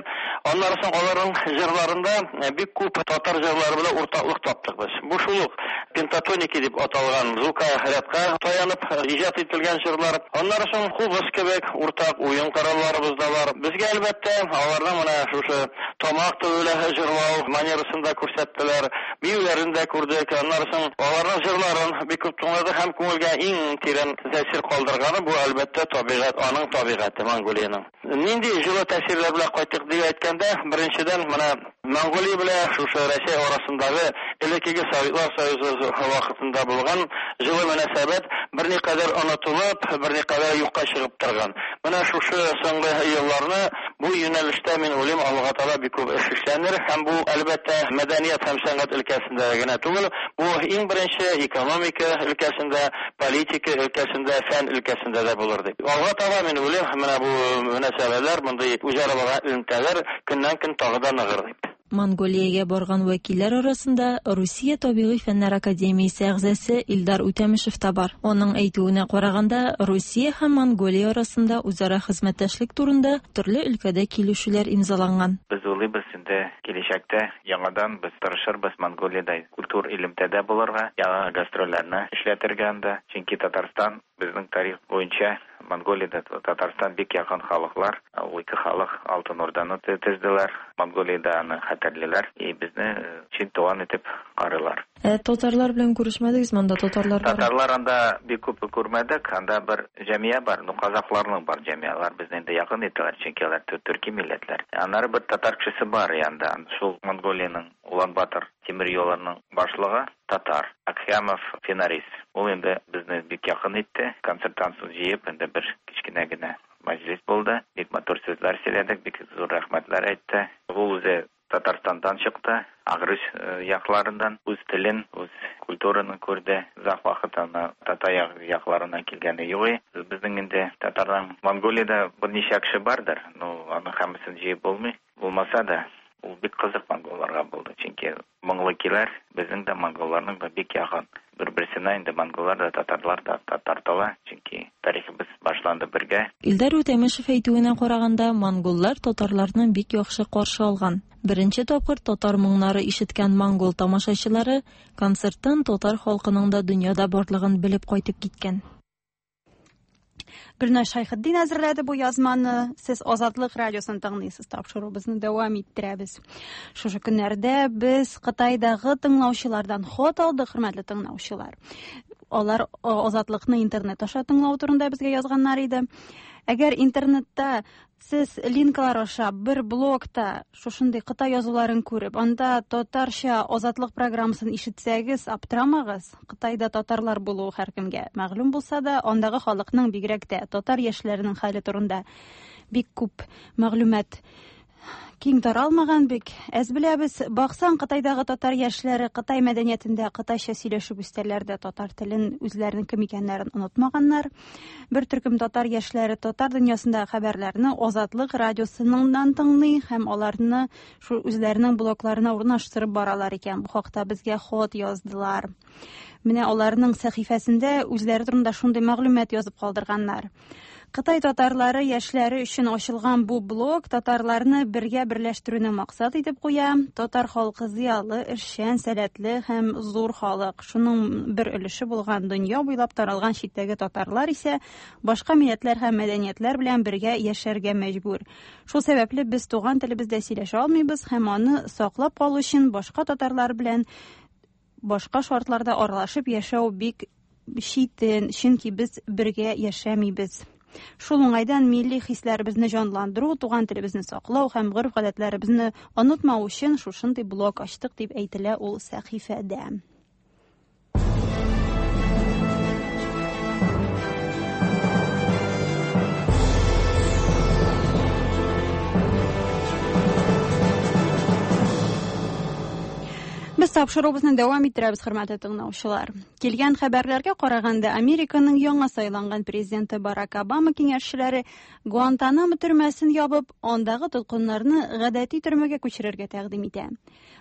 Аннары соң аларның җырларында бик күп татар җырлары белән уртаклык таптык без. Бу шул ук пентатоники дип аталган звукорядка таянып иҗат ителгән җырлар. Аннары соң кубыз кебек уртак уен коралларыбыз да бар. Безгә, әлбәттә, аларның менә шушы тамак төбе белән җырлау манерасын да күрсәттеләр, биюләрен дә күрдек. Аннары соң аларның җырларын бик күп тыңладык һәм күңелгә иң тирән тәэсир калдырганы бу, әлбәттә, табигать, аның табигате, Монголиянең. Нинди җылы тәэсирләр белән кайттык дип әйткәндә, беренчедән, менә Монголия белән шушы Рәсәй арасындагы элеккеге Советлар Союзы вакытында булган җылы мөнәсәбәт берникадәр онытылып, берникадәр юкка чыгып торган. Менә шушы соңгы елларны бу юнәлештә, мин уйлыйм, алга таба бик күп эш эшләнер һәм бу, әлбәттә, мәдәният һәм сәнгать өлкәсендә генә түгел, бу иң беренче экономика өлкәсендә, политика өлкәсендә, фән өлкәсендә дә булыр дип. Алга таба, мин уйлыйм, менә бу мөнәсәбәләр, мондый үзара булган элемтәләр көннән-көн тагы да ныгыр дип. Монголиягә барган вәкилләр арасында Русия табигый фәннәр академиясе әгъзасы Илдар Үтәмешев та бар. Аның әйтүенә караганда, Русия һәм Монголия арасында үзара хезмәттәшлек турында төрле өлкәдә килешүләр имзаланган. Без уйлыйбыз, инде киләчәктә яңадан без тырышырбыз Монголиядә культур элемтәдә булырга, яңа гастрольләрне эшләтергә анда. Чөнки Татарстан безнең тарих буенча Монголиядә Татарстан бик якын халыклар. Ул ике халык Алтын Урданы төзделәр. Монголиядә аны хәтерлиләр и безне чын туган итеп карыйлар. Ә татарлар белән күрешмәдегезме анда? Татарлар бар? Татарлар анда бик күп күрмәдек. Анда бер җәмия бар. Ну, казахларның бар җәмия. Алар безне инде якын итәләр, чөнки алар төрки милләтләр. Аннары бер татар кешесе бар янда. Шул Монголиянең Улан-Батор тимер юлының башлыгы татар. Акхямов Финарис. Ул инде безне бик якын итте. Концерттан соң җыеп, инде бер кечкенә генә мәҗлес булды. Бик матур сүзләр сөйләдек, бик зур рәхмәтләр әйтте. Ул үзе Татарстаннан чыкты, Агрыз якларыннан. Үз телен, үз культураны күрде. Озак вакыт аны татар якларына килгәне юк и. Безнең инде татарның Монголиядә берничә кеше бардыр, но аның һәммәсен җыеп булмый. Булмаса да, ул бик кызык монголларга булды, чөнки моңлы көйләр безнең дә, монголларның да бик якын. Бер-берсенә инде монголлар да, татарлар да тартыла, чөнки тарихыбыз башланды бергә. Илдар Үтәмешев әйтүенә караганда, монголлар татарларны бик яхшы каршы алган. Беренче тапкыр татар моңнары ишеткән монгол тамашачылары концерттан татар халкының да дөньяда барлыгын белеп кайтып киткән. Гөлназ Шәйхетдин әзерләде бу язманы. Сез Азатлык радиосын тыңлыйсыз. Тапшыруыбызны дәвам иттерәбез. Шушы көннәрдә без Кытайдагы тыңлаучылардан хат алдык, хөрмәтле тыңлаучылар. Алар Азатлыкны интернет аша тыңлау турында безгә язганнар иде. Әгәр интернетта Сез линклар аша бер блогта шушындый кытай язуларын күреп, анда татарча Азатлык программасын ишетсәгез, аптырамагыз. Кытайда татарлар булуы һәркемгә мәгълүм булса да, андагы халыкның, бигрәк тә татар яшьләренең хәле турында бик күп мәгълүмат киң таралмаган, бик әз беләбез. Баксаң, Кытайдагы татар яшьләре Кытай мәдәниятендә кытайча сөйләшеп үстәләр дә, татар телен, үзләренең кем икәннәрен онытмаганнар. Бер төркем татар яшьләре татар дөньясындагы хәбәрләрне Азатлык радиосыннан тыңлый һәм аларны шул үзләренең блогларына урнаштырып баралар икән. Бу хакта безгә хат яздылар. Менә аларның сәхифәсендә үзләре турында шундый мәгълүмат язып калдырганнар. Кытай татарлары яшьләре өчен ачылган бу блог татарларны бергә берләштерүне максат итеп куя. Татар халкы зыялы, эшчән, сәләтле һәм зур халык. Шуның бер өлеше булган дөнья буйлап таралган читтәге татарлар исә башка милләтләр һәм мәдәниятләр белән бергә яшәргә мәҗбүр. Шул сәбәпле без туган телебездә сөйләшә алмыйбыз һәм аны саклап калу өчен башка татарлар белән башка шартларда аралашып яшәү бик читен, чөнки без бергә яшәмибез. Шул уңайдан милли хисләребезне җанландыру, туган телебезне саклау һәм гореф-гадәтләребезне онытмау өчен шушындый блог ачтык, дип әйтелә ул сәхифәдә. Без тапшыруыбызны дәвам иттерәбез, хөрмәтле тыңлаучылар. Килгән хәбәрләргә караганда, Американың яңа сайланган президенты Барак Обама киңәшчеләре Гуантанамо төрмәсен ябып, андагы тоткыннарны гадәти төрмәгә күчерергә тәкъдим итә.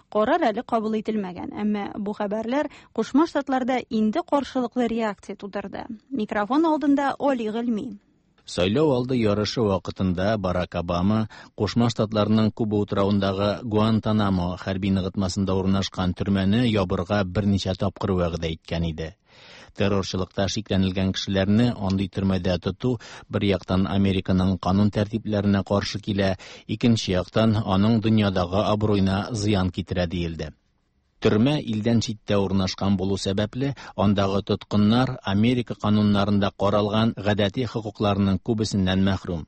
Карар әле кабул ителмәгән, әмма бу хәбәрләр Кушма Штатларда инде каршылыклы реакция тудырды. Микрофон алдында Оли Гыйльми. Сайлау алды ярышы вакытында Барак Обама Кушма Штатларның Куба утравындагы Гуантанамо хәрби ныгытмасында урнашкан төрмәне ябырга берничә тапкыр вәгъдә иткән иде. Террорчылыкта шикләнелгән кешеләрне андый төрмәдә тоту бер яктан Американың канун тәртипләренә каршы килә, икенче яктан аның дөньядагы абруена зыян китерә диелде. Төрмә илдән читтә урнашкан булу сәбәпле, андагы тоткыннар Америка кануннарында каралган гадәти хокукларының күбесеннән мәхрүм.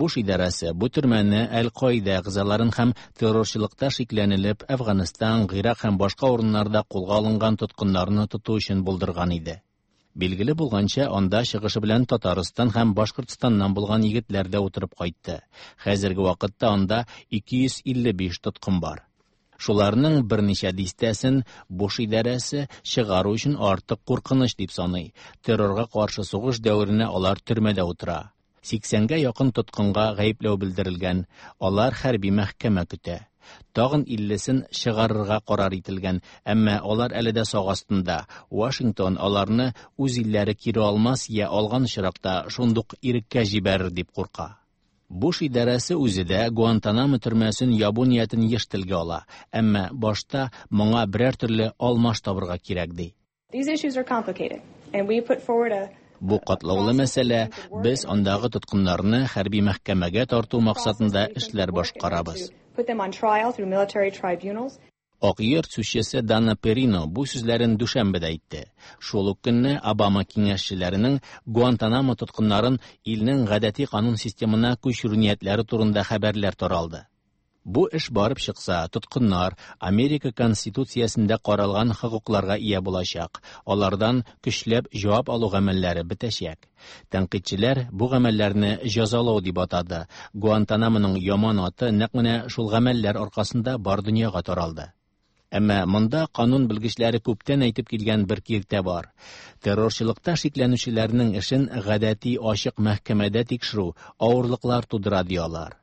Буш идарәсе бу төрмәне Әл-Каидә әгъзаларын һәм террорчылыкта шикләнелеп Әфганстан, Гыйрак һәм башка урыннарда кулга алынган тоткыннарны тоту өчен булдырган иде. Билгеле булганча, анда чыгышы белән Татарстан һәм Башкортстаннан булган егетләр дә утырып кайтты. Хәзерге вакытта анда 255 тоткын бар. Шуларның берничә дистәсен Буш идарәсе чыгару өчен артык куркыныч дип саный. Террорга каршы сугыш дәверенә алар төрмәдә утыра. Сиксәнгә якын тоткынга гаепләү белдерелгән, алар хәрби мәхкәмә көтә. Тагын иллесен чыгарырга карар ителгән, әмма алар әле дә сак астында. Вашингтон аларны үз илләре кире алмас я алган очракта шундук иреккә җибәрер дип курка. Буш идарәсе үзе дә Гуантанамо төрмәсен ябу ниятен еш телгә ала, әмма башта моңа берәр төрле алмаш табырга кирәк ди. These issues are complicated, and we put forward a Бу катлаулы мәсьәлә, без андагы тоткыннарны хәрби мәхкәмәгә тарту максатында эшләр башкарабыз. put them on trial through military tribunals. Ак йорт сүзчесе Дана Перино бу сүзләрен дүшәмбедә әйтте. Шул ук көнне Обама киңәшчеләренең Гуантанамо тоткыннарын илнең гадәти канун системына күчерү ниятләре турында хәбәрләр таралды. Бу эш барып чыкса, тоткыннар Америка Конституциясендә каралган хокукларга ия булачак, алардан көчләп җавап алу гамәлләре бетәчәк. Тәнкыйтьчеләр бу гамәлләрне җәзалау дип атады. Гуантанамоның яман аты нәкъ менә шул гамәлләр аркасында бар дөньяга таралды. Әмма монда канун белгечләре күптән әйтеп килгән бер киртә бар. Террорчылыкта шикләнүчеләрнең эшен гадәти ачык мәхкәмәдә тикшерү авырлыклар тудыра ди алар.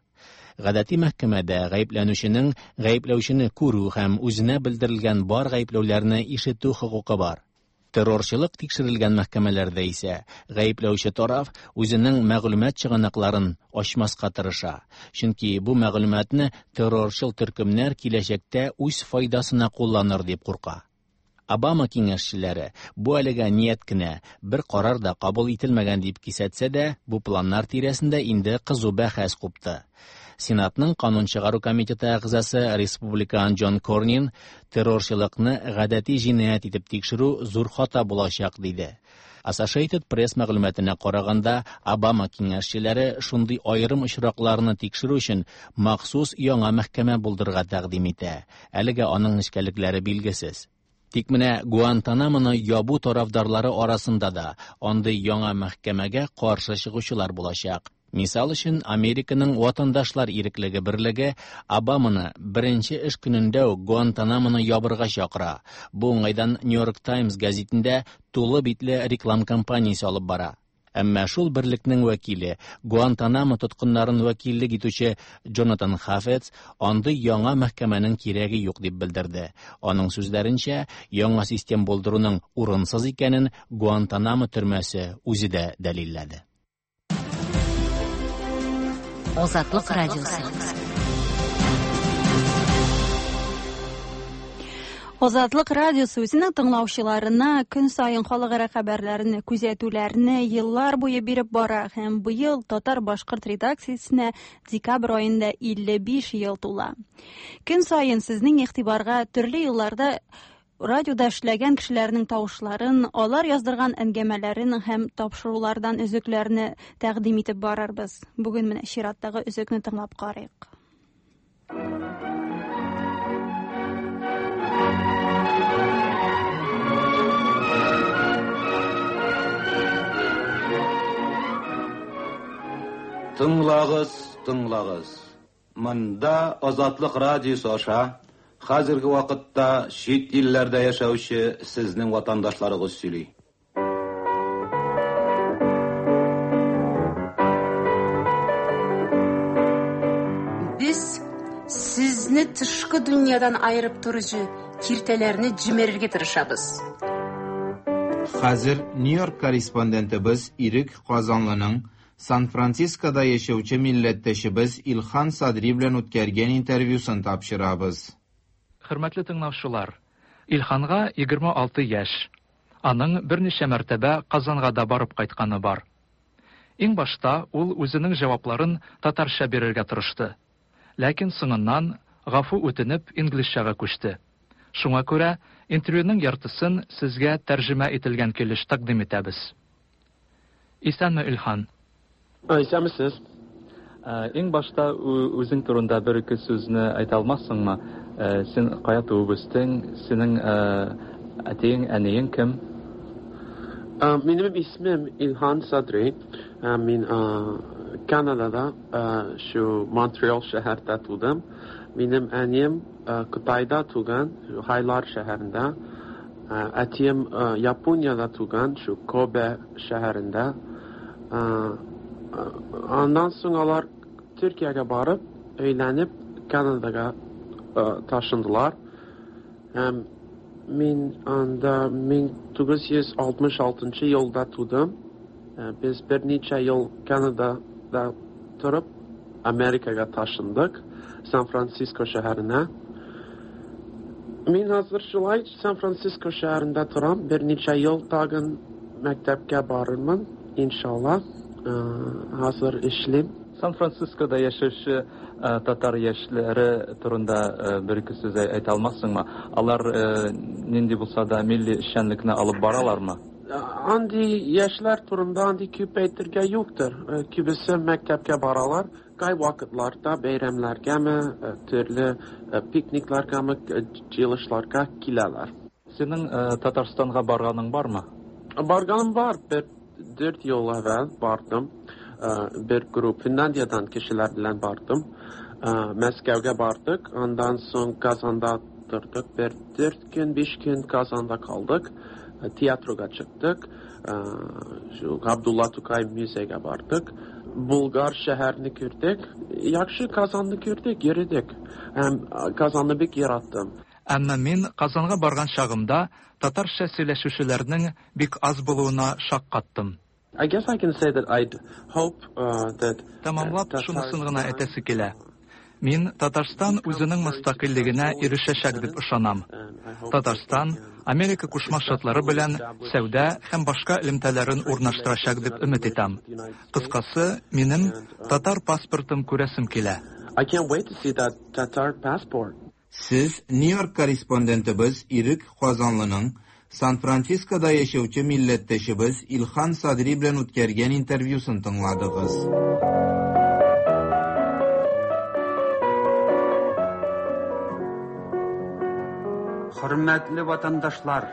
Гадәти мәхкәмәдә гаепләнүченең гаепләүчене күрү һәм үзенә белдерелгән бар гаепләүләрне ишетү хокукы бар. Террорчылык тикшерелгән мәхкәмәләрдә исә гаепләүче тараф үзенең мәгълүмат чыганакларын ачмаска тырыша. Чөнки бу мәгълүматны террорчыл төркемнәр киләчәктә үз файдасына кулланыр дип курка. Обама киңәшчеләре бу әлегә ният кенә, бер карар да кабул ителмәгән дип кисәтсә дә, бу планнар тирәсендә инде кызу бәхәс купты. Сенатның канун чыгару комитеты әгъзасы республикан Джон Корнин террорчылыкны гадәти җинаять итеп тикшерү зур хата булачак диде. Associated Press мәгълүматына караганда, Обама киңәшчеләре шундый аерым очракларны тикшерү өчен махсус яңа мәхкәмә булдырырга тәкъдим итә. Әлегә аның нечкәлекләре билгесез. Тик менә Гуантанамоны ябу тарафдарлары арасында да андый яңа мәхкәмәгә каршы чыгучылар булачак. Мисал өчен, Американың ватандашлар иреклеге берлеге Обаманы беренче эш көнендә үк Гуантанамоны ябырга чакыра. Бу уңайдан New York Times гәзитендә тулы битле реклам кампаниясе алып бара. Әмма шул берлекнең вәкиле, Гуантанамо тоткыннарын вәкиллек итүче Джонатан Хафец андый яңа мәхкәмәнең кирәге юк дип белдерде. Аның сүзләренчә, яңа систем булдыруның урынсыз икәнен Гуантанамо төрмәсе үзе дә дәлилләде. Азатлык радиосы. Азатлык радиосы үзенең тыңлаучыларына көн саен халыкара хәбәрләрне, күзәтүләрне еллар буе биреп бара һәм быел татар-башкорт редакциясенә декабрь аенда 55 ел тула. Көн саен сезнең игътибарга төрле елларда радиода эшләгән кешеләрнең тавышларын, алар яздырган әңгәмәләрен һәм тапшырулардан өзекләрне тәкъдим итеп барырбыз. Бүген менә чираттагы өзекне тыңлап карыйк. Тыңлагыз, тыңлагыз. Монда Азатлык радиосы аша Хәзерге вакытта чит илләрдә яшәүче сезнең ватандашларыгыз сөйли. Без сезне тышкы дөньядан аерып торучы киртәләрне җимерергә тырышабыз. Хәзер Нью-Йорк корреспондентыбыз Ирек Казанлының Сан-Францискода яшәүче милләттәшебез Илхан Садри белән үткәргән интервьюсын тапшырабыз. Хөрмәтле тыңлаучылар, Илханга 26 яшь. Аның берничә мәртәбә Казанга да барып кайтканы бар. Иң башта ул үзенең җавапларын татарча бирергә тырышты. Ләкин соңыннан, гафу үтенеп, инглизчәгә күчте. Шуңа күрә интервьюның яртысын сезгә тәрҗемә ителгән килеш тәкъдим итәбез. Исәнме, Илхан? Исәнмесез. Иң башта үзең турында бер-ике сүзне әйтә алмассыңмы? Син кая туып үстең? Синең әтиең, әниең кем? Минем исемем Илхан Садри. Мин Канадада, шу Монтреал шәһәрдә тудым. Минем әнием Кытайда туган, Хайлар шәһәрендә. Әтием Япониядә туган, шу Кобе шәһәрендә. Аннан соң алар Төркиягә барып, өйләнеп, Канадага ташындылар. Һәм мин анда 1966 елда тудым. Без берничә ел Канадада торып, Америкага ташындык, Сан-Франциско шәһәренә. Мин хәзер шулай Сан-Франциско шәһәрендә торам. Берничә ел тагын мәктәпкә барырмын, иншалла. Хәзер эшлим. Сан-Францискода яшәүче татар яшьләре турында бер-ике сүз әйтә алмассыңмы? Алар нинди булса да милли эшчәнлекне алып баралармы? Андый яшьләр турында андый күп әйтергә юктыр. Күбесе мәктәпкә баралар. Кайвакытларда бәйрәмнәргәме, төрле пикникларгамы, җыелышларга киләләр. Синең Татарстанга барганың бармы? Барганым бар. Бер дүрт ел әвәл бардым. Бер групп Финляндиядән кешеләр белән бардым. Мәскәүгә бардык. Аннан соң Казанда тордык. Бер дүрт көн, биш көн Казанда калдык. Театрга чыктык. Шу Габдулла Тукай музейга бардык. Булгар шәһәрне күрдек. Яхшы Казанны күрдек, йөрдек. Һәм Казанны бик яраттым. Әмма мин Казанга барган чагымда татарча сөйләшүчеләрнең бик аз булуына шаккаттым. I guess I can say that I'd hope that Тәмамлап, шунысын гына әйтәсе килә. Мин Татарстан үзенең мөстәкыйльлегенә ирешәчәк дип ышанам. Татарстан Америка Кушма Штатлары белән сәүдә һәм башка элемтәләрен урнаштырачак дип өмет итәм. Кыскасы, минем татар паспортын күрәсем килә. I can't wait to see that Tatar passport. Сез Нью-Йорк корреспондентыбыз Ирек Казанлының Сан-Францискода яшәүче милләттәшебез Илхан Садри белән үткәргән интервьюсын тыңладыгыз. Хөрмәтле ватандашлар,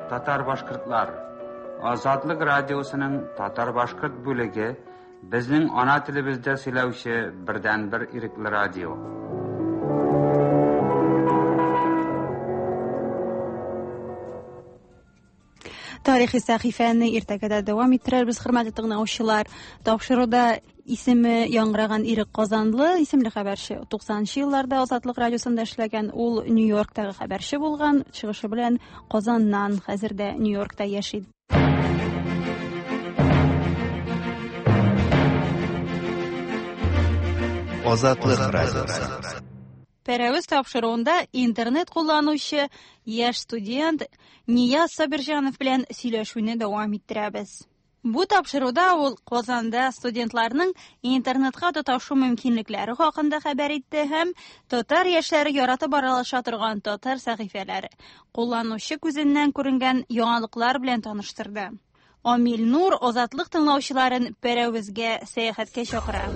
татар-башкортлар! Азатлык радиосының татар-башкорт бүлеге безнең ана телебездә сөйләүче бердәнбер ирекле радио. Тарихи сәхифәне иртәгә дә дәвам иттерербез, хөрмәтле тыңлаучылар. Тапшыруда исеме яңгыраган Ирек Казанлы исемле хәбәрче 90 елларда Азатлык радиосында эшләгән, ул Нью-Йорктагы хәбәрче булган, чыгышы белән Казаннан, хәзер дә Нью-Йоркта яши. Азатлык радиосы. Пәрәвез тапшыруында интернет кулланучы яшь студент Нияз Сабирҗанов белән сөйләшүне дәвам иттерәбез. Бу тапшыруда ул Казанда студентларның интернетка тоташу мөмкинлекләре хакында хәбәр итте һәм татар яшьләре яратып аралаша торган татар сәхифәләре, кулланучы күзеннән күренгән яңалыклар белән таныштырды. Амил Нур Азатлык тыңлаучыларын Пәрәвезгә сәяхәткә чакыра.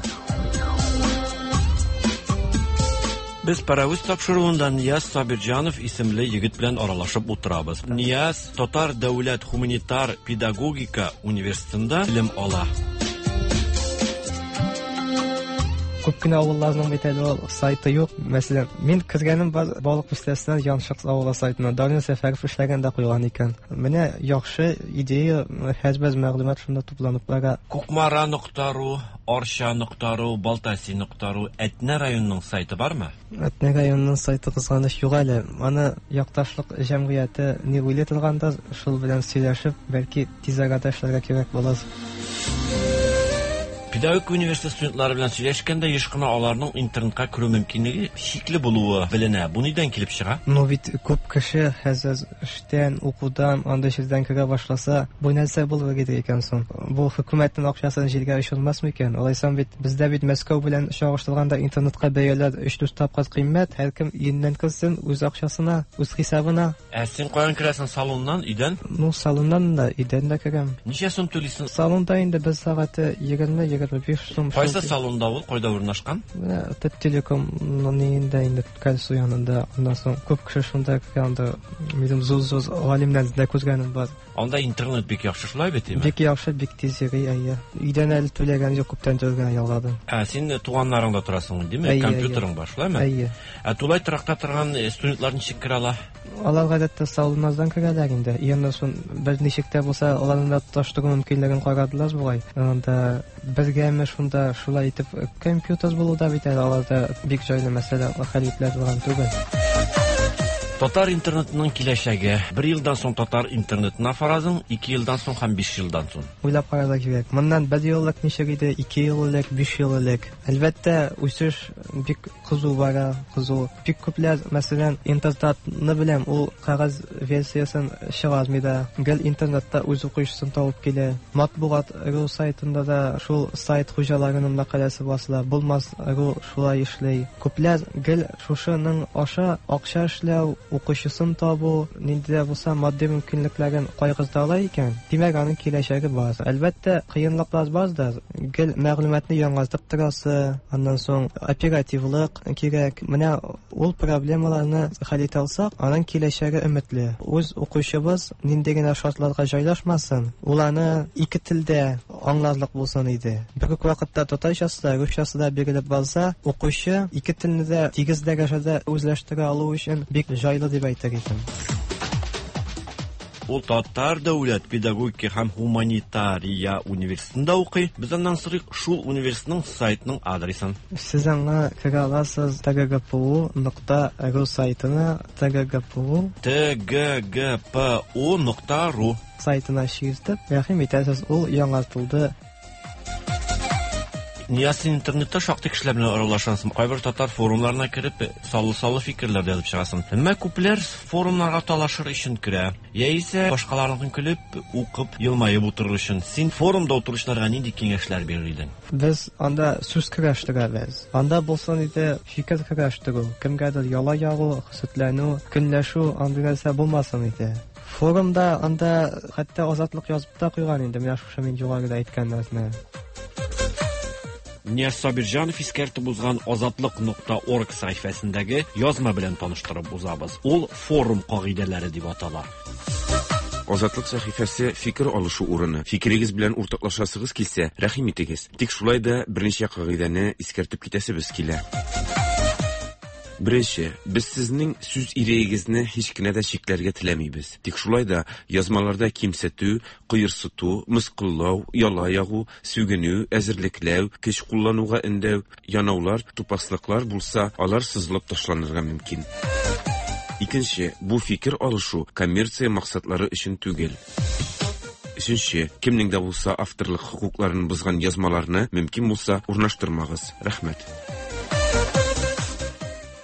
Без Пәрәвез тапшыруында Нияз Сабирҗанов исемле егет белән аралашып утырабыз. Нияз Татар дәүләт һуманитар педагогика университетында белем ала. Күп кенә авылларның бит әле ул сайты юк. Мәсәлән, мин кергәнем бар Балык Бистәсеннән Яншык авылы сайтына. Дарин Сәфәров эшләгән дә куйган икән. Менә яхшы идея, һәрбер мәгълүмат шунда тупланып бара. Кукмара нокта ру, Арча нокта ру, Балтаси нокта ру, Әтнә районының сайты бармы? Әтнә районының сайты кызганыч юк әле. Аны якташлык җәмгыяте ни уйлый торгандыр, шул белән сөйләшеп, бәлки тиз арада эшләргә кирәк булыр. Педагогика университеты студентлары белән сөйләшкәндә еш кына аларның интернетка керү мөмкинлеге шикле булуы беленә. Бу нидән килеп чыга? Ну бит күп кеше хәзер эштән, укудан, андый җирдән керә башласа, бу нәрсә булыр иде икән соң? Бу хөкүмәтнең акчасын җиргә очырмас микән? Алайсам бит бездә бит Мәскәү белән чагыштырганда интернетка бәяләр 3-4 тапкыр кыйммәт, һәркем өеннән керсен, үз акчасына, үз хисабына. Ә син каян керәсең? Салоннан, өйдән? Ну, салоннан да, өйдән дә керәм. Ничә сум түлисең? Салонда инде бер сәгате 20-25 сум. Кайсы салонда ул? Кайда урнашкан? Менә Таттелеком ниендә инде кальсу янында. Аннан соң күп кеше шунда керә, анда минем зур-зур галимнәрне дә күргәнем бар. Анда интернет бик яхшы шулай бит, димме? Бик яхшы, бик тиз йөри, әйе. Өйдән әле түләгән юк, күптән түгел генә ялгадым. Ә син туганнарыңда торасың, димме? Әйе, Компьютерың бар, шулаймы? Әйе. Ә тулай торакта торган студентлар ничек керә ала? Алар гадәттә салоннардан керәләр инде. Аннан соң бер ничек тә булса аларны да тоташтыру мөмкинлеген карадылар бугай. Анда бергәме шунда шулай итеп компьютер булу да бит әле аларда бик җайлы мәсьәлә хәл ителә торган түгел. Татар интернетының киләчәге. Бер елдан соң татар интернетына фаразың, 2 елдан соң һәм 5 елдан соң. Уйлап карарга кирәк. Моннан бер ел элек ничек иде, 2 ел элек, 5 ел элек. Әлбәттә, үсеш бик кызу бара, кызу. Бик күпләр, мәсәлән, интертатны беләм, ул кәгазь версиясен чыгармый да, гел интернетта үз укучысын табып килә. Матбугат ру сайтында да шул сайт хуҗаларының мәкаләсе басыла. Булмас ру шулай эшли. Күпләр гел шушының аша акча эшләү, укучысын табу, нинди дә булса матди мөмкинлекләрен кайгырта ала икән, димәк, аның киләчәге бар. Әлбәттә, кыенлыклар бар да, гел мәгълүматны яңартып торасы, аннан соң оперативлык кирәк. Менә ул проблемаларны хәл итә алсак, аның киләчәге өметле. Үз укучыбыз нинди генә шартларга җайлашмасын, ул аны ике телдә аңларлык булсын иде. Бер үк вакытта татарчасы да, русчасы да бирелеп барса, укучы ике телне дә тигез дәрәҗәдә үзләштерә алу өчен бик җайлы дип әйтер идем. Ул Татар дәүләт педагогика һәм һуманитария университетында укый. Без аннан сорыйк шул университетның сайтының адресын. Сез аңа керә аласыз tggpu.ru сайтына, tggpu tggpu.ru сайтына чиртеп, рәхим итәсез, ул яңартылды. Нияз, син интернетта шактый кешеләр белән аралашасың. Кайбер татар форумнарына кереп, саллы-саллы фикерләр дә язып чыгасың. Әмма күпләр форумнарга талашыр өчен керә. Яисә башкаларныкын көлеп, укып, елмаеп утырыр өчен. Син форумда утыручыларга нинди киңәшләр бирер идең? Без анда сүз көрәштерәбез. Анда булсын иде фикер көрәштерү, кемгәдер яла ягу, хөсетләнү, көнләшү, андый нәрсә булмасын иде. Форумда анда хәтта Азатлык язып та куйган инде, менә шушы мин югарыда әйткән нәрсәне. Нияз Сабирҗанов искәртеп узган Азатлык нокта орг сәхифәсендәге язма белән таныштырып узабыз. Ул форум кагыйдәләре дип атала. Азатлык сәхифәсе фикер алышу урыны. Фикерегез белән уртаклашасыгыз килсә, рәхим итегез. Тик шулай да берничә кагыйдәне искәртеп китәсебез килә. Беренче, без сезнең сүз ирегегезне һич кенә дә чикләргә теләмибез. Тик шулай да язмаларда кимсетү, кыерсыту, мыскыллау, яла ягу, сүгенү, әзерлекләү, көч куллануга өндәү, янаулар, тупаслыклар булса, алар сызылып ташланырга мөмкин. Икенче, бу фикер алышу коммерция максатлары өчен түгел. Өченче, кемнең дә булса авторлык хокукларын бозган язмаларны мөмкин булса урнаштырмагыз. Рәхмәт.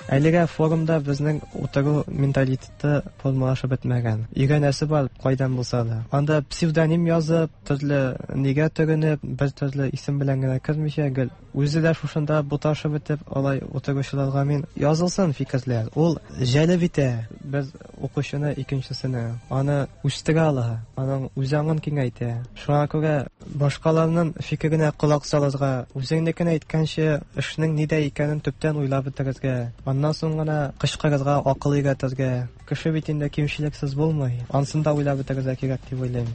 Әлегә форумда безнең утыру менталитеты формалашып бетмәгән. Өйрәнәсе бар, кайдан булса да. Анда псевдоним язып, төрле нигә төренеп, бер төрле исем белән генә кермичә, гел үзе дә шушында буташып бетеп, алай утыручыларга мин язылсын фикерләр. Ул җәлеп итә бер укучыны икенчесенә. Аны үстерә ала, аның үзаңын киңәйтә. Шуңа күрә башкаларның фикеренә колак салырга, үзеңнекен әйткәнче, эшнең нидә икәнен төптән уйлап бетерергә, аннан соң гына кычкырырга, акыл өйрәтергә. Кеше бит инде кимчелексез булмый. Ансын да уйлап бетерергә кирәк дип уйлыйм.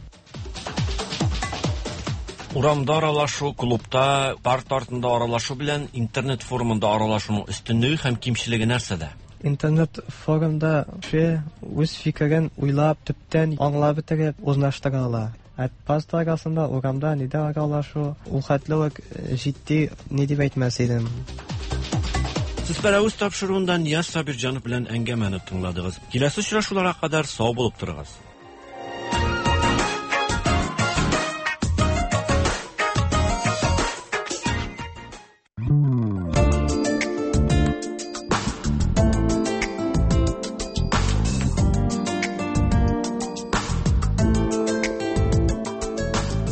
Урамда аралашу, клубта, парта артында аралашу белән интернет форумында аралашуның өстенлеге һәм кимчелеге нәрсәдә? Интернет форумда кеше үз фикерен уйлап, төптән аңлап бетереп урнаштыра ала. Ә парта арасында, урамда нидә аралашу ул хәтле үк җитди ни дип әйтмәс идем. Сез Пәрәвез тапшыруында Нияз Сабирҗанов белән әңгәмәне тыңладыгыз. Киләсе очрашуларга кадәр сау булып торыгыз.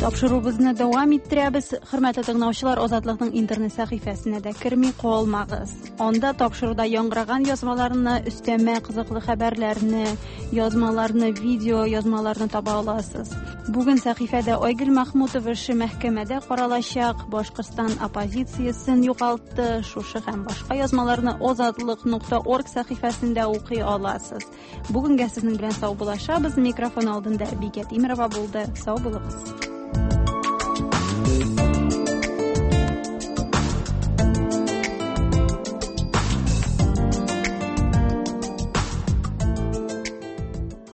Тапшыруыбызны дәвам иттерәбез. Хөрмәтле тыңлаучылар, Азатлыкның интернет сәхифәсенә дә керми калмагыз. Анда тапшыруда яңгыраган язмаларны, өстәмә кызыклы хәбәрләрне, язмаларны, видео язмаларны таба аласыз. Бүген сәхифәдә Айгөл Махмутова эше мәхкәмәдә каралачак, Башкортстан оппозициясен югалтты. Шушы һәм башка язмаларны озатлык.орг сәхифәсендә укый аласыз. Бүгенгә сезнең белән саубуллашабыз. Микрофон алдында Бикә Тимерова булды. Сау булыгыз.